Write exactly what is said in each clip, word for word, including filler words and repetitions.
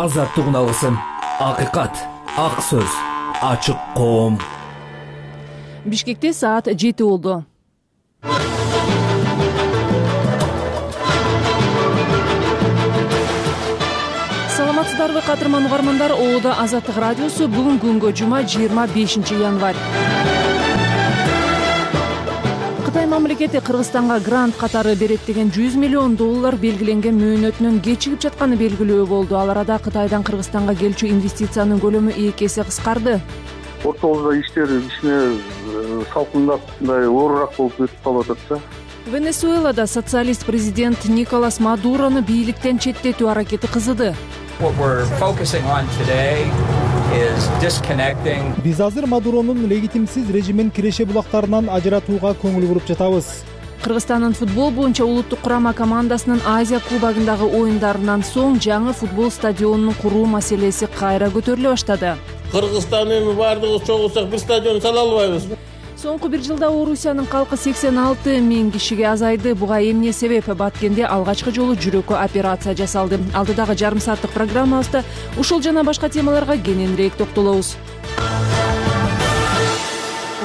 азаттыгын алгысың. Акыйкат, ак сөз, ачык коом. Бишкекте саат жети болду. Саламатсыздарбы кадырман угармандар, Оодо Азаттык радиосу. Бүгүн күнгө жума жыйырма бешинчи январь. Кытай мамлекети Кыргызстанга грант катары берет деген жүз миллион доллар белгиленген мөөнөтүнөн кечигип жатканы белгилүү болду. Ал арада Кытайдан Кыргызстанга келчү инвестициянын көлөмү эки эсе кыскарды. Ортолукта иштер кичине салкындап, мындай оорураак болуп өтүп калып атат да. Венесуэлада социалист президент Николас Мадурону бийликтен четтетүү аракети кызыды. Биз азыр Мадуронун легитимсиз режимин киреше булактарынан ажыратууга көңүл буруп жатабыз. Кыргызстандын футбол боюнча улуттук курама командасынын Азия кубогундагы оюндарынан соң жаңы футбол стадионун куруу маселеси кайра көтөрүлө баштады. Кыргызстан эми баардыгыбыз чогулсак бир стадион сала албайбыз. Соңку бир жылда Орусиянын калкы сексен алты миң кишиге азайды. Буга эмне себеп? Баткенде алгачкы жолу жүрөккө операция жасалды. Алдыдагы жарым сааттык программабызда ушул жана башка темаларга кененирээк токтолобуз.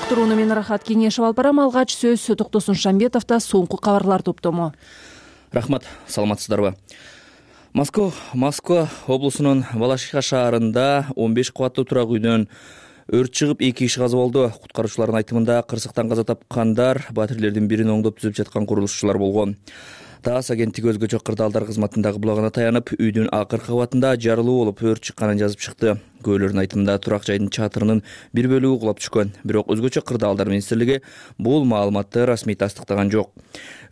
Уктурууну мен Рахат Кеңешев алып барам. Алгач сөз Токтосун Шамбетовдо соңку кабарлар топтому. Рахмат, саламатсыздарбы? Москва Москва облусунун Балашиха шаарында он беш кабаттуу турак үйдөн өрт чыгып, эки киши каза болду. Куткаруучулардын айтымында кырсыктан каза тапкандар батирелердин бирин оңдоп түзүп жаткан курулушчулар болгон. ТАСС агенттиги өзгөчө кырдаалдар кызматындагы булагына таянып, үйдүн акыркы кабатында жарылуу болуп өрт чыкканын жазып чыкты. Күбөлөрдүн айтымында турак жайдын чатырынын бир бөлүгү кулап түшкөн. Бирок өзгөчө кырдаалдар министрлиги бул маалыматты расмий тастыктаган жок.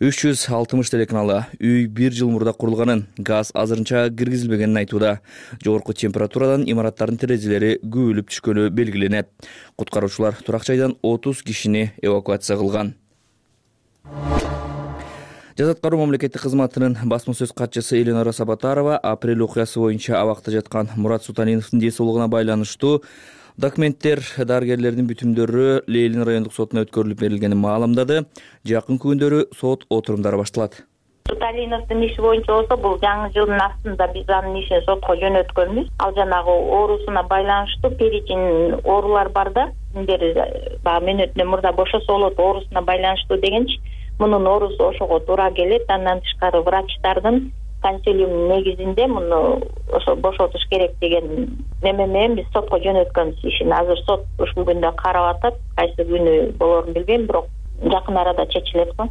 үч жүз алтымыш телеканалы үй бир жыл мурда курулганын, газ азырынча киргизилбегенин айтууда. Жогорку температурадан имараттардын терезелери күбөлүп түшкөнү белгиленет. Куткаруучулар турак жайдан отуз кишини эвакуация кылган. Жаза аткаруу мамлекеттик кызматынын басма сөз катчысы Элинора Сабатарова апрель окуясы боюнча абакта жаткан Мурат Суталиновдун ден соолугуна байланыштуу документтер дарыгерлердин бүтүмдөрү Лейлин райондук сотуна өткөрүлүп берилгенин маалымдады. Жакын күндөрү сот отурумдары башталат. Суталиновдун иши боюнча болсо, бул жаңы жылдын астында биз анын ишин сотко жөнөткөнбүз. Ал жанагы оорусуна байланыштуу перечень оорулар бар да, синдер баягы мөөнөтүнөн мурда бошосо болот оорусуна байланыштуу дегенчи. Мунун оорусу ошого туура келет. Андан тышкары врачтардын консилиумунун негизинде муну ошо бошотуш керек деген неме менен биз сотко жөнөткөнбүз ишин. Азыр сот ушул күндө карап атат. Кайсы күнү болорун билбейм, бирок жакын арада чечилет го.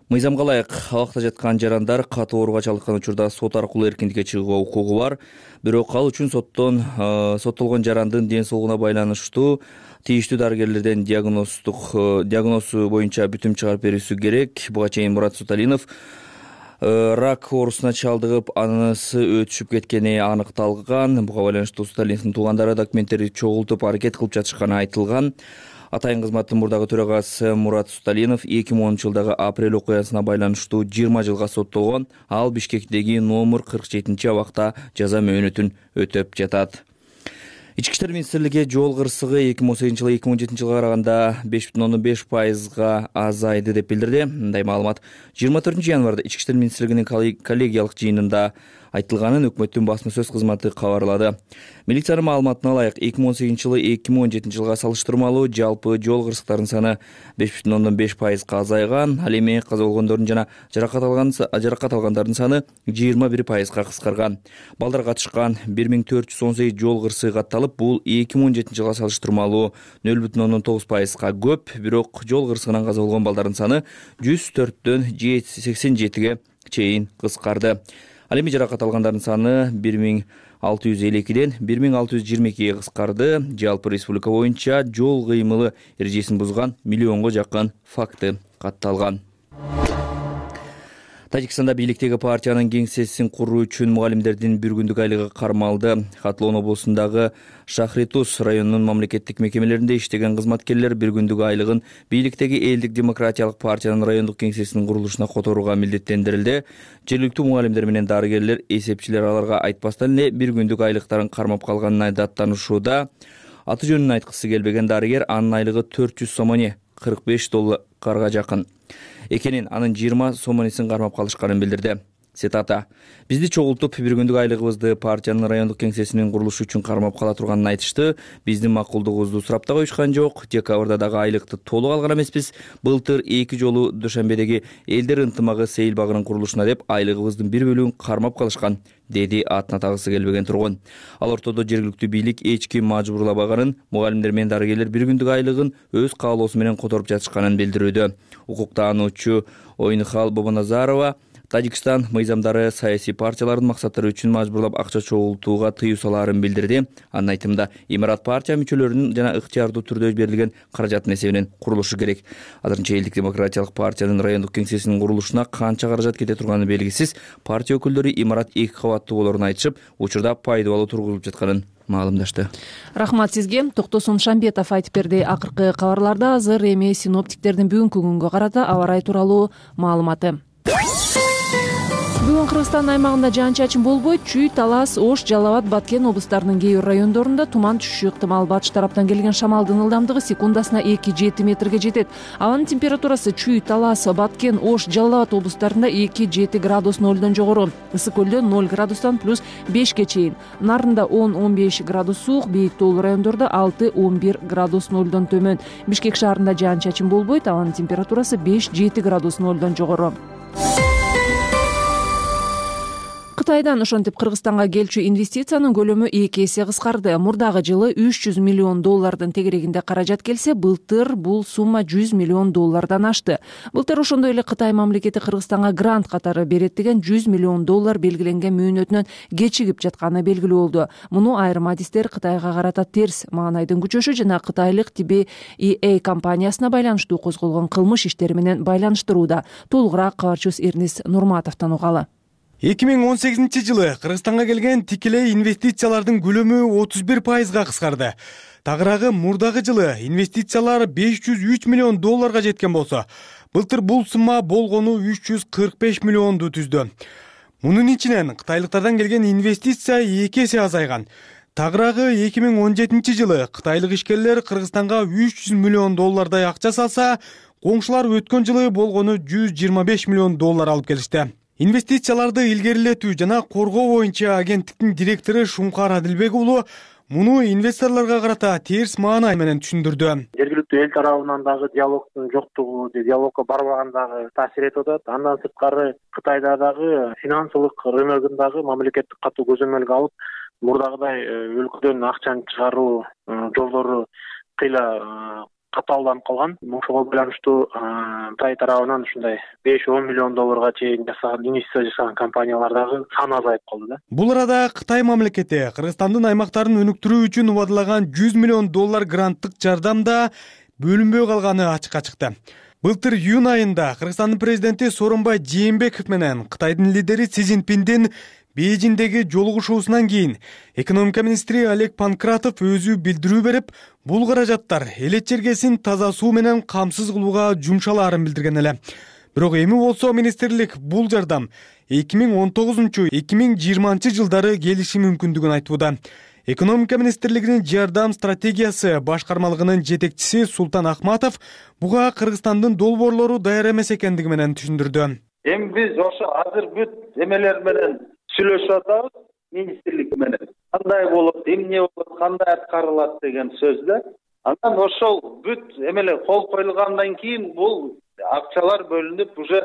Мыйзамга ылайык абакта жаткан жарандар катуу ооруга чалдыккан учурда сот аркылуу эркиндикке чыгууга укугу бар. Бирок ал үчүн соттон соттолгон жарандын ден соолугуна байланыштуу тийиштүү дарыгерлерден диагноздук диагнозу боюнча бүтүм чыгарып берүүсү керек. Буга чейин Мурат Суталинов рак оорусуна чалдыгып, анысы өтүшүп кеткени аныкталган. Буга байланыштуу Суталиновдун туугандары документтерди чогултуп аракет кылып жатышканы айтылган. Атайын кызматтын мурдагы төрагасы Мурат Суталинов эки миң онунчу жылдагы апрель окуясына байланыштуу жыйырма жылга соттолгон. Ал Бишкектеги номер кырк жетинчи абакта жаза мөөнөтүн өтөп жатат. Ички иштер министрлиги жол кырсыгы эки миң он сегизинчи жылы эки миң он жетинчи жылга караганда беш бүтүн ондон беш пайызга азайды деп билдирди. Мындай маалымат жыйырма төртүнчү январда Ички иштер министрлигинин коллегиялык жыйынында айтылганын өкмөттүн басма сөз кызматы кабарлады. Милициянын маалыматына ылайык эки миң он сегизинчи жылы эки миң он жетинчи жылга салыштырмалуу жалпы жол кырсыктарынын саны беш бүтүн ондон беш пайызга азайган. Ал эми каза болгондордун жана жаракат алган жаракат алгандардын саны жыйырма бир пайызга кыскарган. Балдар катышкан бир миң төрт жүз он сегиз жол кырсыгы катталып, бул эки миң он жетинчи жылга салыштырмалуу нөл бүтүн ондон тогуз пайызга көп. Бирок жол кырсыгынан каза болгон балдардын саны жүз төрттөн сексен жетиге чейин кыскарды. Ал эми жаракат алгандардын саны бир миң алты жүз элүү экиден бир миң алты жүз жыйырма экиге кыскарды. Жалпы республика боюнча жол кыймылы эрежесин бузган миллионго жакын факты катталган. Тажикстанда бийликтеги партиянын кеңсесин куруу үчүн мугалимдердин бир күндүк айлыгы кармалды. Хатлоон облусундагы Шахритус районунун мамлекеттик мекемелеринде иштеген кызматкерлер бир күндүк айлыгын бийликтеги Элдик демократиялык партиянын райондук кеңсесинин курулушуна которууга милдеттендирилди. Жергиликтүү мугалимдер менен дарыгерлер, эсепчилер аларга айтпастан эле бир күндүк айлыктарын кармап калганына даттанышууда. Аты жөнүн айткысы келбеген дарыгер анын айлыгы төрт жүз сомони, кырк беш долларга жакын экенин, анын жыйырма сомонисин кармап калышканын билдирди. Цитата: «Бизди чогултуп, бир күндүк айлыгыбызды партиянын райондук кеңсесинин курулушу үчүн кармап кала турганын айтышты. Биздин макулдугубузду сурап да коюшкан жок. Декабрда дагы айлыкты толук алган эмеспиз. Былтыр эки жолу Душанбедеги элдер ынтымагы сейил багынын курулушуна деп айлыгыбыздын бир бөлүгүн кармап калышкан», деди атын атагысы келбеген тургун. Ал ортодо жергиликтүү бийлик эч ким мажбурлабаганын, мугалимдер менен дарыгерлер бир күндүк айлыгын өз каалоосу менен которуп жатышканын билдирүүдө. Укуктаануучу Ойнухал Бобоназарова Тажикстан мыйзамдары саясий партиялардын максаттары үчүн мажбурлап акча чогултууга тыюу салаарын билдирди. Анын айтымында, имарат партия мүчөлөрүнүн жана ыктыярдуу түрдө берилген каражаттын эсебинен курулушу керек. Азырынча Элдик демократиялык партиянын райондук кеңсесинин курулушуна канча каражат кете турганы белгисиз. Партия өкүлдөрү имарат эки кабаттуу болоорун айтышып, учурда пайдалуу тургузулуп жатканын маалымдашты. Рахмат сизге. Токтосун Шамбетов айтып берди. Акыркы кабарларда азыр эми синоптиктердин бүгүнкү күнгө карата аба ырайы тууралуу маалыматы. Бүгүн Кыргызстан аймагында жаан-чачын болбойт. Чүй, Талас, Ош, Жалал Абад, Баткен облустарынын кээ бир райондорунда туман түшүшү ыктымал. Батыш тараптан келген шамалдын ылдамдыгы секундасына эки жети метрге жетет. Абанын температурасы Чүй, Талас, Баткен, Ош, Жалал Абад облустарында эки жети градус нолдон жогору. Ысык көлдө ноль градустан плюс бешке чейин. Нарында он он беш градус суук, бийик тоолуу райондордо алты он бир градус нолдон төмөн. Бишкек шаарында жаан-чачын болбойт. Абанын температурасы беш жети градус нолдон жогору. Кытайдан ошентип Кыргызстанга келчү инвестициянын көлөмү эки эсе кыскарды. Мурдагы жылы үч жүз миллион доллардын тегерегинде каражат келсе, былтыр бул сумма жүз миллион доллардан ашты. Былтыр ошондой эле Кытай мамлекети Кыргызстанга грант катары берет деген жүз миллион доллар белгиленген мөөнөтүнөн кечигип жатканы белгилүү болду. Муну айрым адистер Кытайга карата терс маанайдын күчөшү жана кытайлык Ти Би И Эй компаниясына байланыштуу козголгон кылмыш иштери менен байланыштырууда. Толугураак кабарчыбыз Эрнис Нурматовдон угалы. эки миң он сегизинчи жылы Кыргызстанга келген тикелей инвестициялардын көлөмү отуз бир пайызга кыскарды. Тагыраагы мурдагы жылы инвестициялар беш жүз үч миллион долларга жеткен болсо, былтыр бул сумма болгону үч жүз кырк беш миллионду түздү. Мунун ичинен кытайлыктардан келген инвестиция эки эсе азайган. Тагыраагы эки миң он жетинчи жылы кытайлык ишкерлер Кыргызстанга үч жүз миллион доллардай акча салса, коңшулар өткөн жылы болгону жүз жыйырма беш миллион доллар алып келишти. Инвестицияларды илгерилетүү жана коргоо боюнча агенттиктин директору Шумкар Адилбек уулу муну инвесторлорго карата терс маанай менен түшүндүрдү. Жергиликтүү эл тарабынан дагы диалогдун жоктугу, диалогко барбаган дагы таасир этип атат. Андан сырткары Кытайда дагы финансылык рыногундагы мамлекеттик катуу көзөмөлгө алып, мурдагыдай өлкөдөн акчаны чыгаруу жолдору кыйла катаалданып калган. Ошого байланыштуу Кытай тарабынан ушундай беш он миллион долларга чейин жасаган инвестиция жасаган компаниялар дагы саны азайып калды да. Бул арада Кытай мамлекети Кыргызстандын аймактарын өнүктүрүү үчүн убадылаган жүз миллион доллар гранттык жардам да бөлүнбөй калганы ачыкка чыкты. Былтыр июнь айында Кыргызстандын президенти Сооронбай Жээнбеков менен Кытайдын лидери Си Цзиньпиндин Бейжиңдеги жолугушуусунан кийин экономика министри Олег Панкратов өзү билдирүү берип, бул каражаттар элет жергесин таза суу менен камсыз кылууга жумшалаарын билдирген эле. Бирок эми болсо министрлик бул жардам эки миң он тогузунчу — эки миң жыйырманчы жылдары келиши мүмкүндүгүн айтууда. Экономика министрлигинин жардам стратегиясы башкармалыгынын жетекчиси Султан Ахматов буга Кыргызстандын долбоорлору даяр эмес экендиги менен түшүндүрдү. Эми биз ошо азыр бүт эмелер менен сүйлөшүп атабыз министрлик менен. Кандай болот, эмне болот, кандай аткарылат деген сөз да. Андан ошол бүт эмелер кол коюлгандан кийин бул акчалар бөлүнүп уже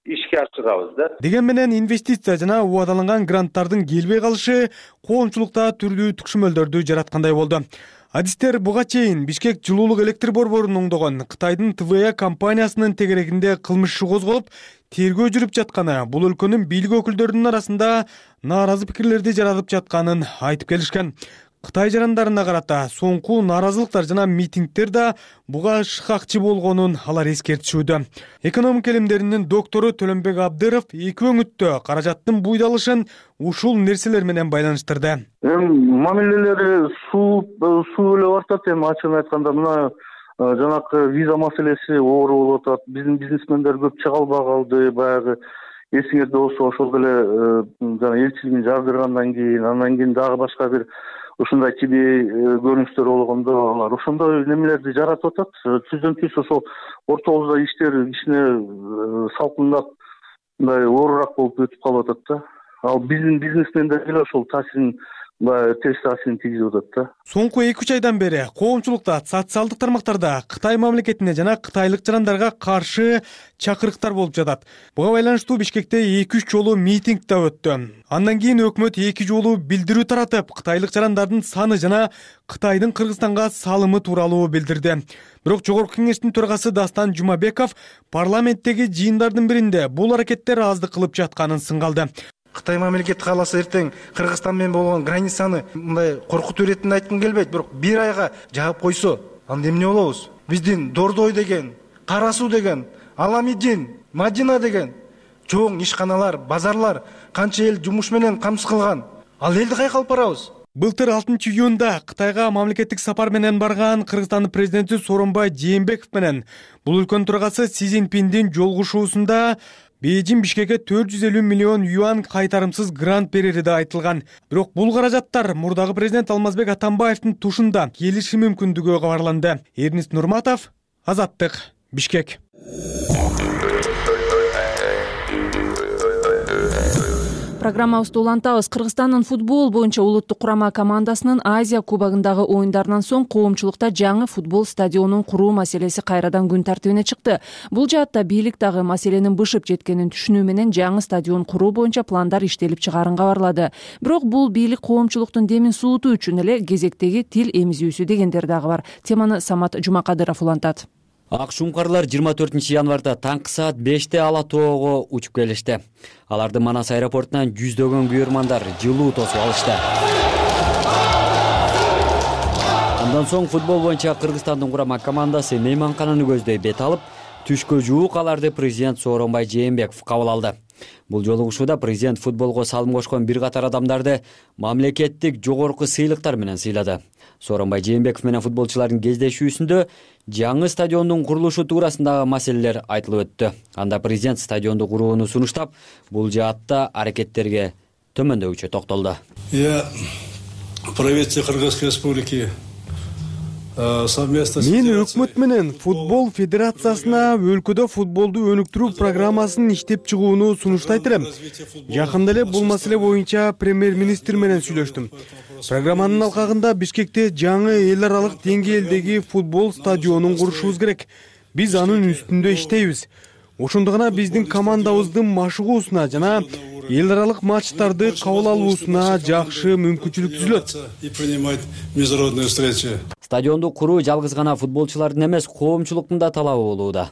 ишке ашырабыз да. Деген менен инвестиция жана убадаланган гранттардын келбей калышы коомчулукта түрдүү түкшүмөлдөрдү жараткандай болду. Адистер буга чейин Бишкек жылуулук электр борборун оңдогон Кытайдын Тэ Вэ А компаниясынын тегерегинде кылмыш иши козголуп, тергөө жүрүп жатканы, бул өлкөнүн бийлик өкүлдөрүнүн арасында нааразы пикирлерди жаратып жатканын айтып келишкен. Кытай жарандарына карата соңку нааразылыктар жана митингдер да буга шыкакчы болгонун алар эскертишүүдө. Экономика илимдеринин доктору Төлөнбек Абдыров эки өңүттө каражаттын буйдалышын ушул нерселер менен байланыштырды. Эми мамилелери суу суу эле бартат. Эми ачыгын айтканда мына жанакы виза маселеси оор болуп атат. Биздин бизнесмендер көп чыга албай калды. Баягы эсиңерде болсо ошол деле жана элчилигин жардыргандан кийин, андан кийин дагы башка бир ушундай Ти Би Эй көрүнүштөр болгондо алар ошондой немелерди жаратып атат. Түздөн түз ошол орто ошол иштер кичине салкындап мындай оорураак болуп өтүп калып атат да. Ал биздин бизнесмендер деле ошол таасирин баягы терс таасирин тийгизип атат да. Соңку эки үч айдан бери коомчулукта, социалдык тармактарда Кытай мамлекетине жана кытайлык жарандарга каршы чакырыктар болуп жатат. Буга байланыштуу Бишкекте эки үч жолу митинг да өттү. Андан кийин өкмөт эки жолу билдирүү таратып, кытайлык жарандардын саны жана Кытайдын Кыргызстанга салымы тууралуу билдирди. Бирок Жогорку кеңештин төрагасы Дастан Жумабеков парламенттеги жыйындардын биринде бул аракеттер аздык кылып жатканын сынгалды. Кытай мамлекети кааласа эртең Кыргызстан менен болгон границаны мындай коркутуу иретинде айткым келбейт, бирок бир айга жаап койсо, анда эмне болобуз? Биздин Дордой деген, Кара Суу деген, Аламидин, Мадина деген чоң ишканалар, базарлар канча эл жумуш менен камсыз кылган. Ал элди кайка алып барабыз? Былтыр алтынчы июнда Кытайга мамлекеттик сапар менен барган Кыргызстандын президенти Сооронбай Жээнбеков менен бул өлкөнүн төрагасы Си Цзиньпиндин жолугушуусунда Бейжин Бишкекке төрт жүз элүү миллион юан кайтарымсыз грант берери да айтылган. Бирок бул каражаттар мурдагы президент Алмазбек Атамбаевдин тушунда келиши мүмкүндүгү кабарланды. Эрнист Нурматов, Азаттык, Бишкек. Программабызды улантабыз. Кыргызстандын футбол боюнча улуттук курама командасынын Азия кубогундагы оюндарынан соң коомчулукта жаңы футбол стадионун куруу маселеси кайрадан күн тартибине чыкты. Бул жаатта бийлик дагы маселенин бышып жеткенин түшүнүү менен жаңы стадион куруу боюнча пландар иштелип чыгарын кабарлады. Бирок бул бийлик коомчулуктун демин суутуу үчүн эле кезектеги тил эмизүүсү дегендер дагы бар. Теманы Самат Жумакадыров улантат. Ак шуңкарлар жыйырма төртүнчү январда таңкы саат беште Ала тоого учуп келишти. Аларды Манас аэропортунан жүздөгөн күйөрмандар жылуу тосуп алышты. Андан соң футбол боюнча Кыргызстандын курама командасы мейманкананы көздөй бет алып, түшкө жуук аларды президент Сооронбай Жээнбеков кабыл алды. Бул жолугушууда президент футболго салым кошкон бир катар адамдарды мамлекеттик жогорку сыйлыктар менен сыйлады. Сооронбай Жээнбеков менен футболчулардын кездешүүсүндө жаңы стадиондун курулушу туурасындагы маселелер айтылып өттү. Анда президент стадионду курууну сунуштап, бул жаатта аракеттерге төмөндөгүчө токтолду. Я правительство Кыргызской республики Мен өкмөт менен футбол федерациясына өлкөдө футболду өнүктүрүү программасын иштеп чыгууну сунуштайт элем. Жакында эле бул маселе боюнча премьер-министр менен сүйлөштүм. Программанын алкагында Бишкекте жаңы эл аралык деңгээлдеги футбол стадионун курушубуз керек. Биз анын үстүндө иштейбиз. Ошондо гана биздин командабыздын машыгуусуна жана эл аралык матчтарды кабыл алуусуна жакшы мүмкүнчүлүк түзүлөт. Стадионду куруу жалгыз гана футболчулардын эмес, коомчулуктун да талабы болууда.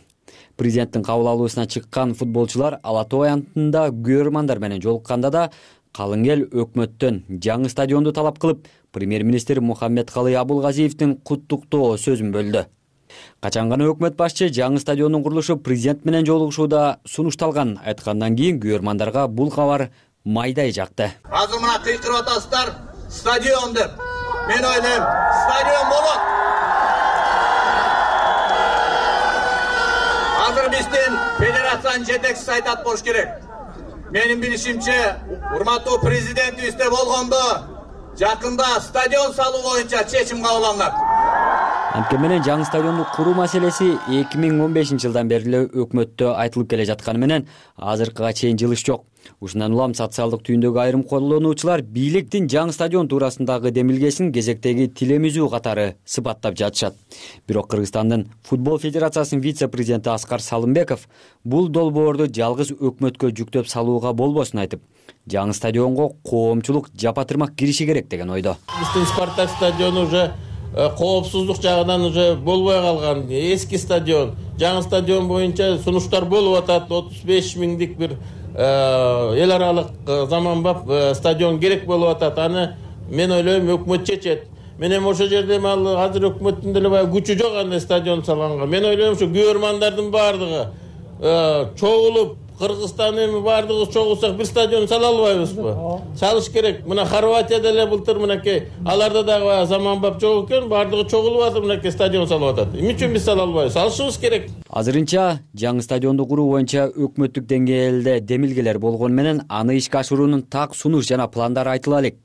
Президенттин кабыл алуусуна чыккан футболчулар Ала тоо аянтында күйөрмандар менен жолукканда да калың эл өкмөттөн жаңы стадионду талап кылып, премьер-министр Мухаммедкалый Абулгазиевдин куттуктоо сөзүн бөлдү. Качан гана өкмөт башчы жаңы стадиондун курулушу президент менен жолугушууда сунушталган айткандан кийин күйөрмандарга бул кабар майдай жакты. Азыр мына кыйкырып атасыздар, стадион деп. Мен ойлойм, стадион болот. Азыр биздин федерациянын жетекчиси айтат болуш керек. Менин билишимче, урматтуу президентибизде болгондо жакында стадион салуу боюнча чечим кабыл алынат. Анткени менен жаңы стадионду куруу маселеси эки миң он бешинчи жылдан бери эле өкмөттө айтылып келе жатканы менен азыркыга чейин жылыш жок. Ушундан улам социалдык түйүндөгү айрым колдонуучулар бийликтин жаңы стадион туурасындагы демилгесин кезектеги тил эмизүү катары сыпаттап жатышат. Бирок Кыргызстандын футбол федерациясынын вице-президенти Аскар Салымбеков бул долбоорду жалгыз өкмөткө жүктөп салууга болбосун айтып, жаңы стадионго коомчулук жапатырмак кириши керек деген ойдо. Биздин Спартак стадиону уже коопсуздук жагынан уже болбой калган, эски стадион. Жаңы стадион боюнча сунуштар болуп атат, отуз беш миңдик бир эл аралык заманбап стадион керек болуп атат. Аны мен ойлойм өкмөт чечет. Мен эми ошол жерде ал азыр өкмөттүн деле баягы күчү жок андай стадион салганга. Мен ойлойм ушу күйөрмандардын баардыгы чогулуп, Кыргызстан эми баардыгыбыз чогулсак бир стадион сала албайбызбы? Салыш керек. Мына Хорватияда эле былтыр мынакей аларда дагы заманбап жок экен, баардыгы чогулуп атып мынакей стадион салып атат. Эмне үчүн биз сала албайбыз? Салышыбыз керек. Азырынча жаңы стадионду куруу боюнча өкмөттүк деңгээлде демилгелер болгону менен аны ишке ашыруунун так сунуш жана пландары айтыла элек.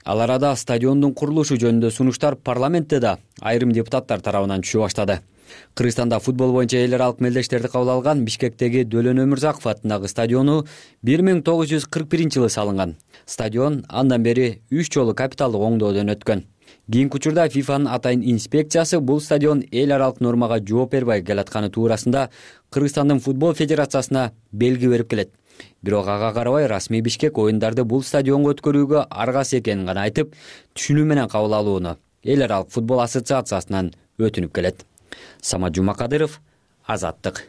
Ал арада стадиондун курулушу жөнүндө сунуштар парламентте да айрым депутаттар тарабынан түшө баштады. Кыргызстанда футбол боюнча эл аралык мелдештерди кабыл алган Бишкектеги Дөлөн Өмүрзаков атындагы стадиону бир миң тогуз жүз кырк биринчи жылы салынган. Стадион андан бери үч жолу капиталдык оңдоодон өткөн. Кийинки учурда ФИФАнын атайын инспекциясы бул стадион эл аралык нормага жооп бербей келатканы туурасында Кыргызстандын футбол федерациясына белги берип келет. Бирок ага карабай расмий Бишкек оюндарды бул стадионго өткөрүүгө аргасыз экенин гана айтып, түшүнүү менен кабыл алууну эл аралык футбол ассоциациясынан өтүнүп келет. Самат Жумакадыров, Азаттык.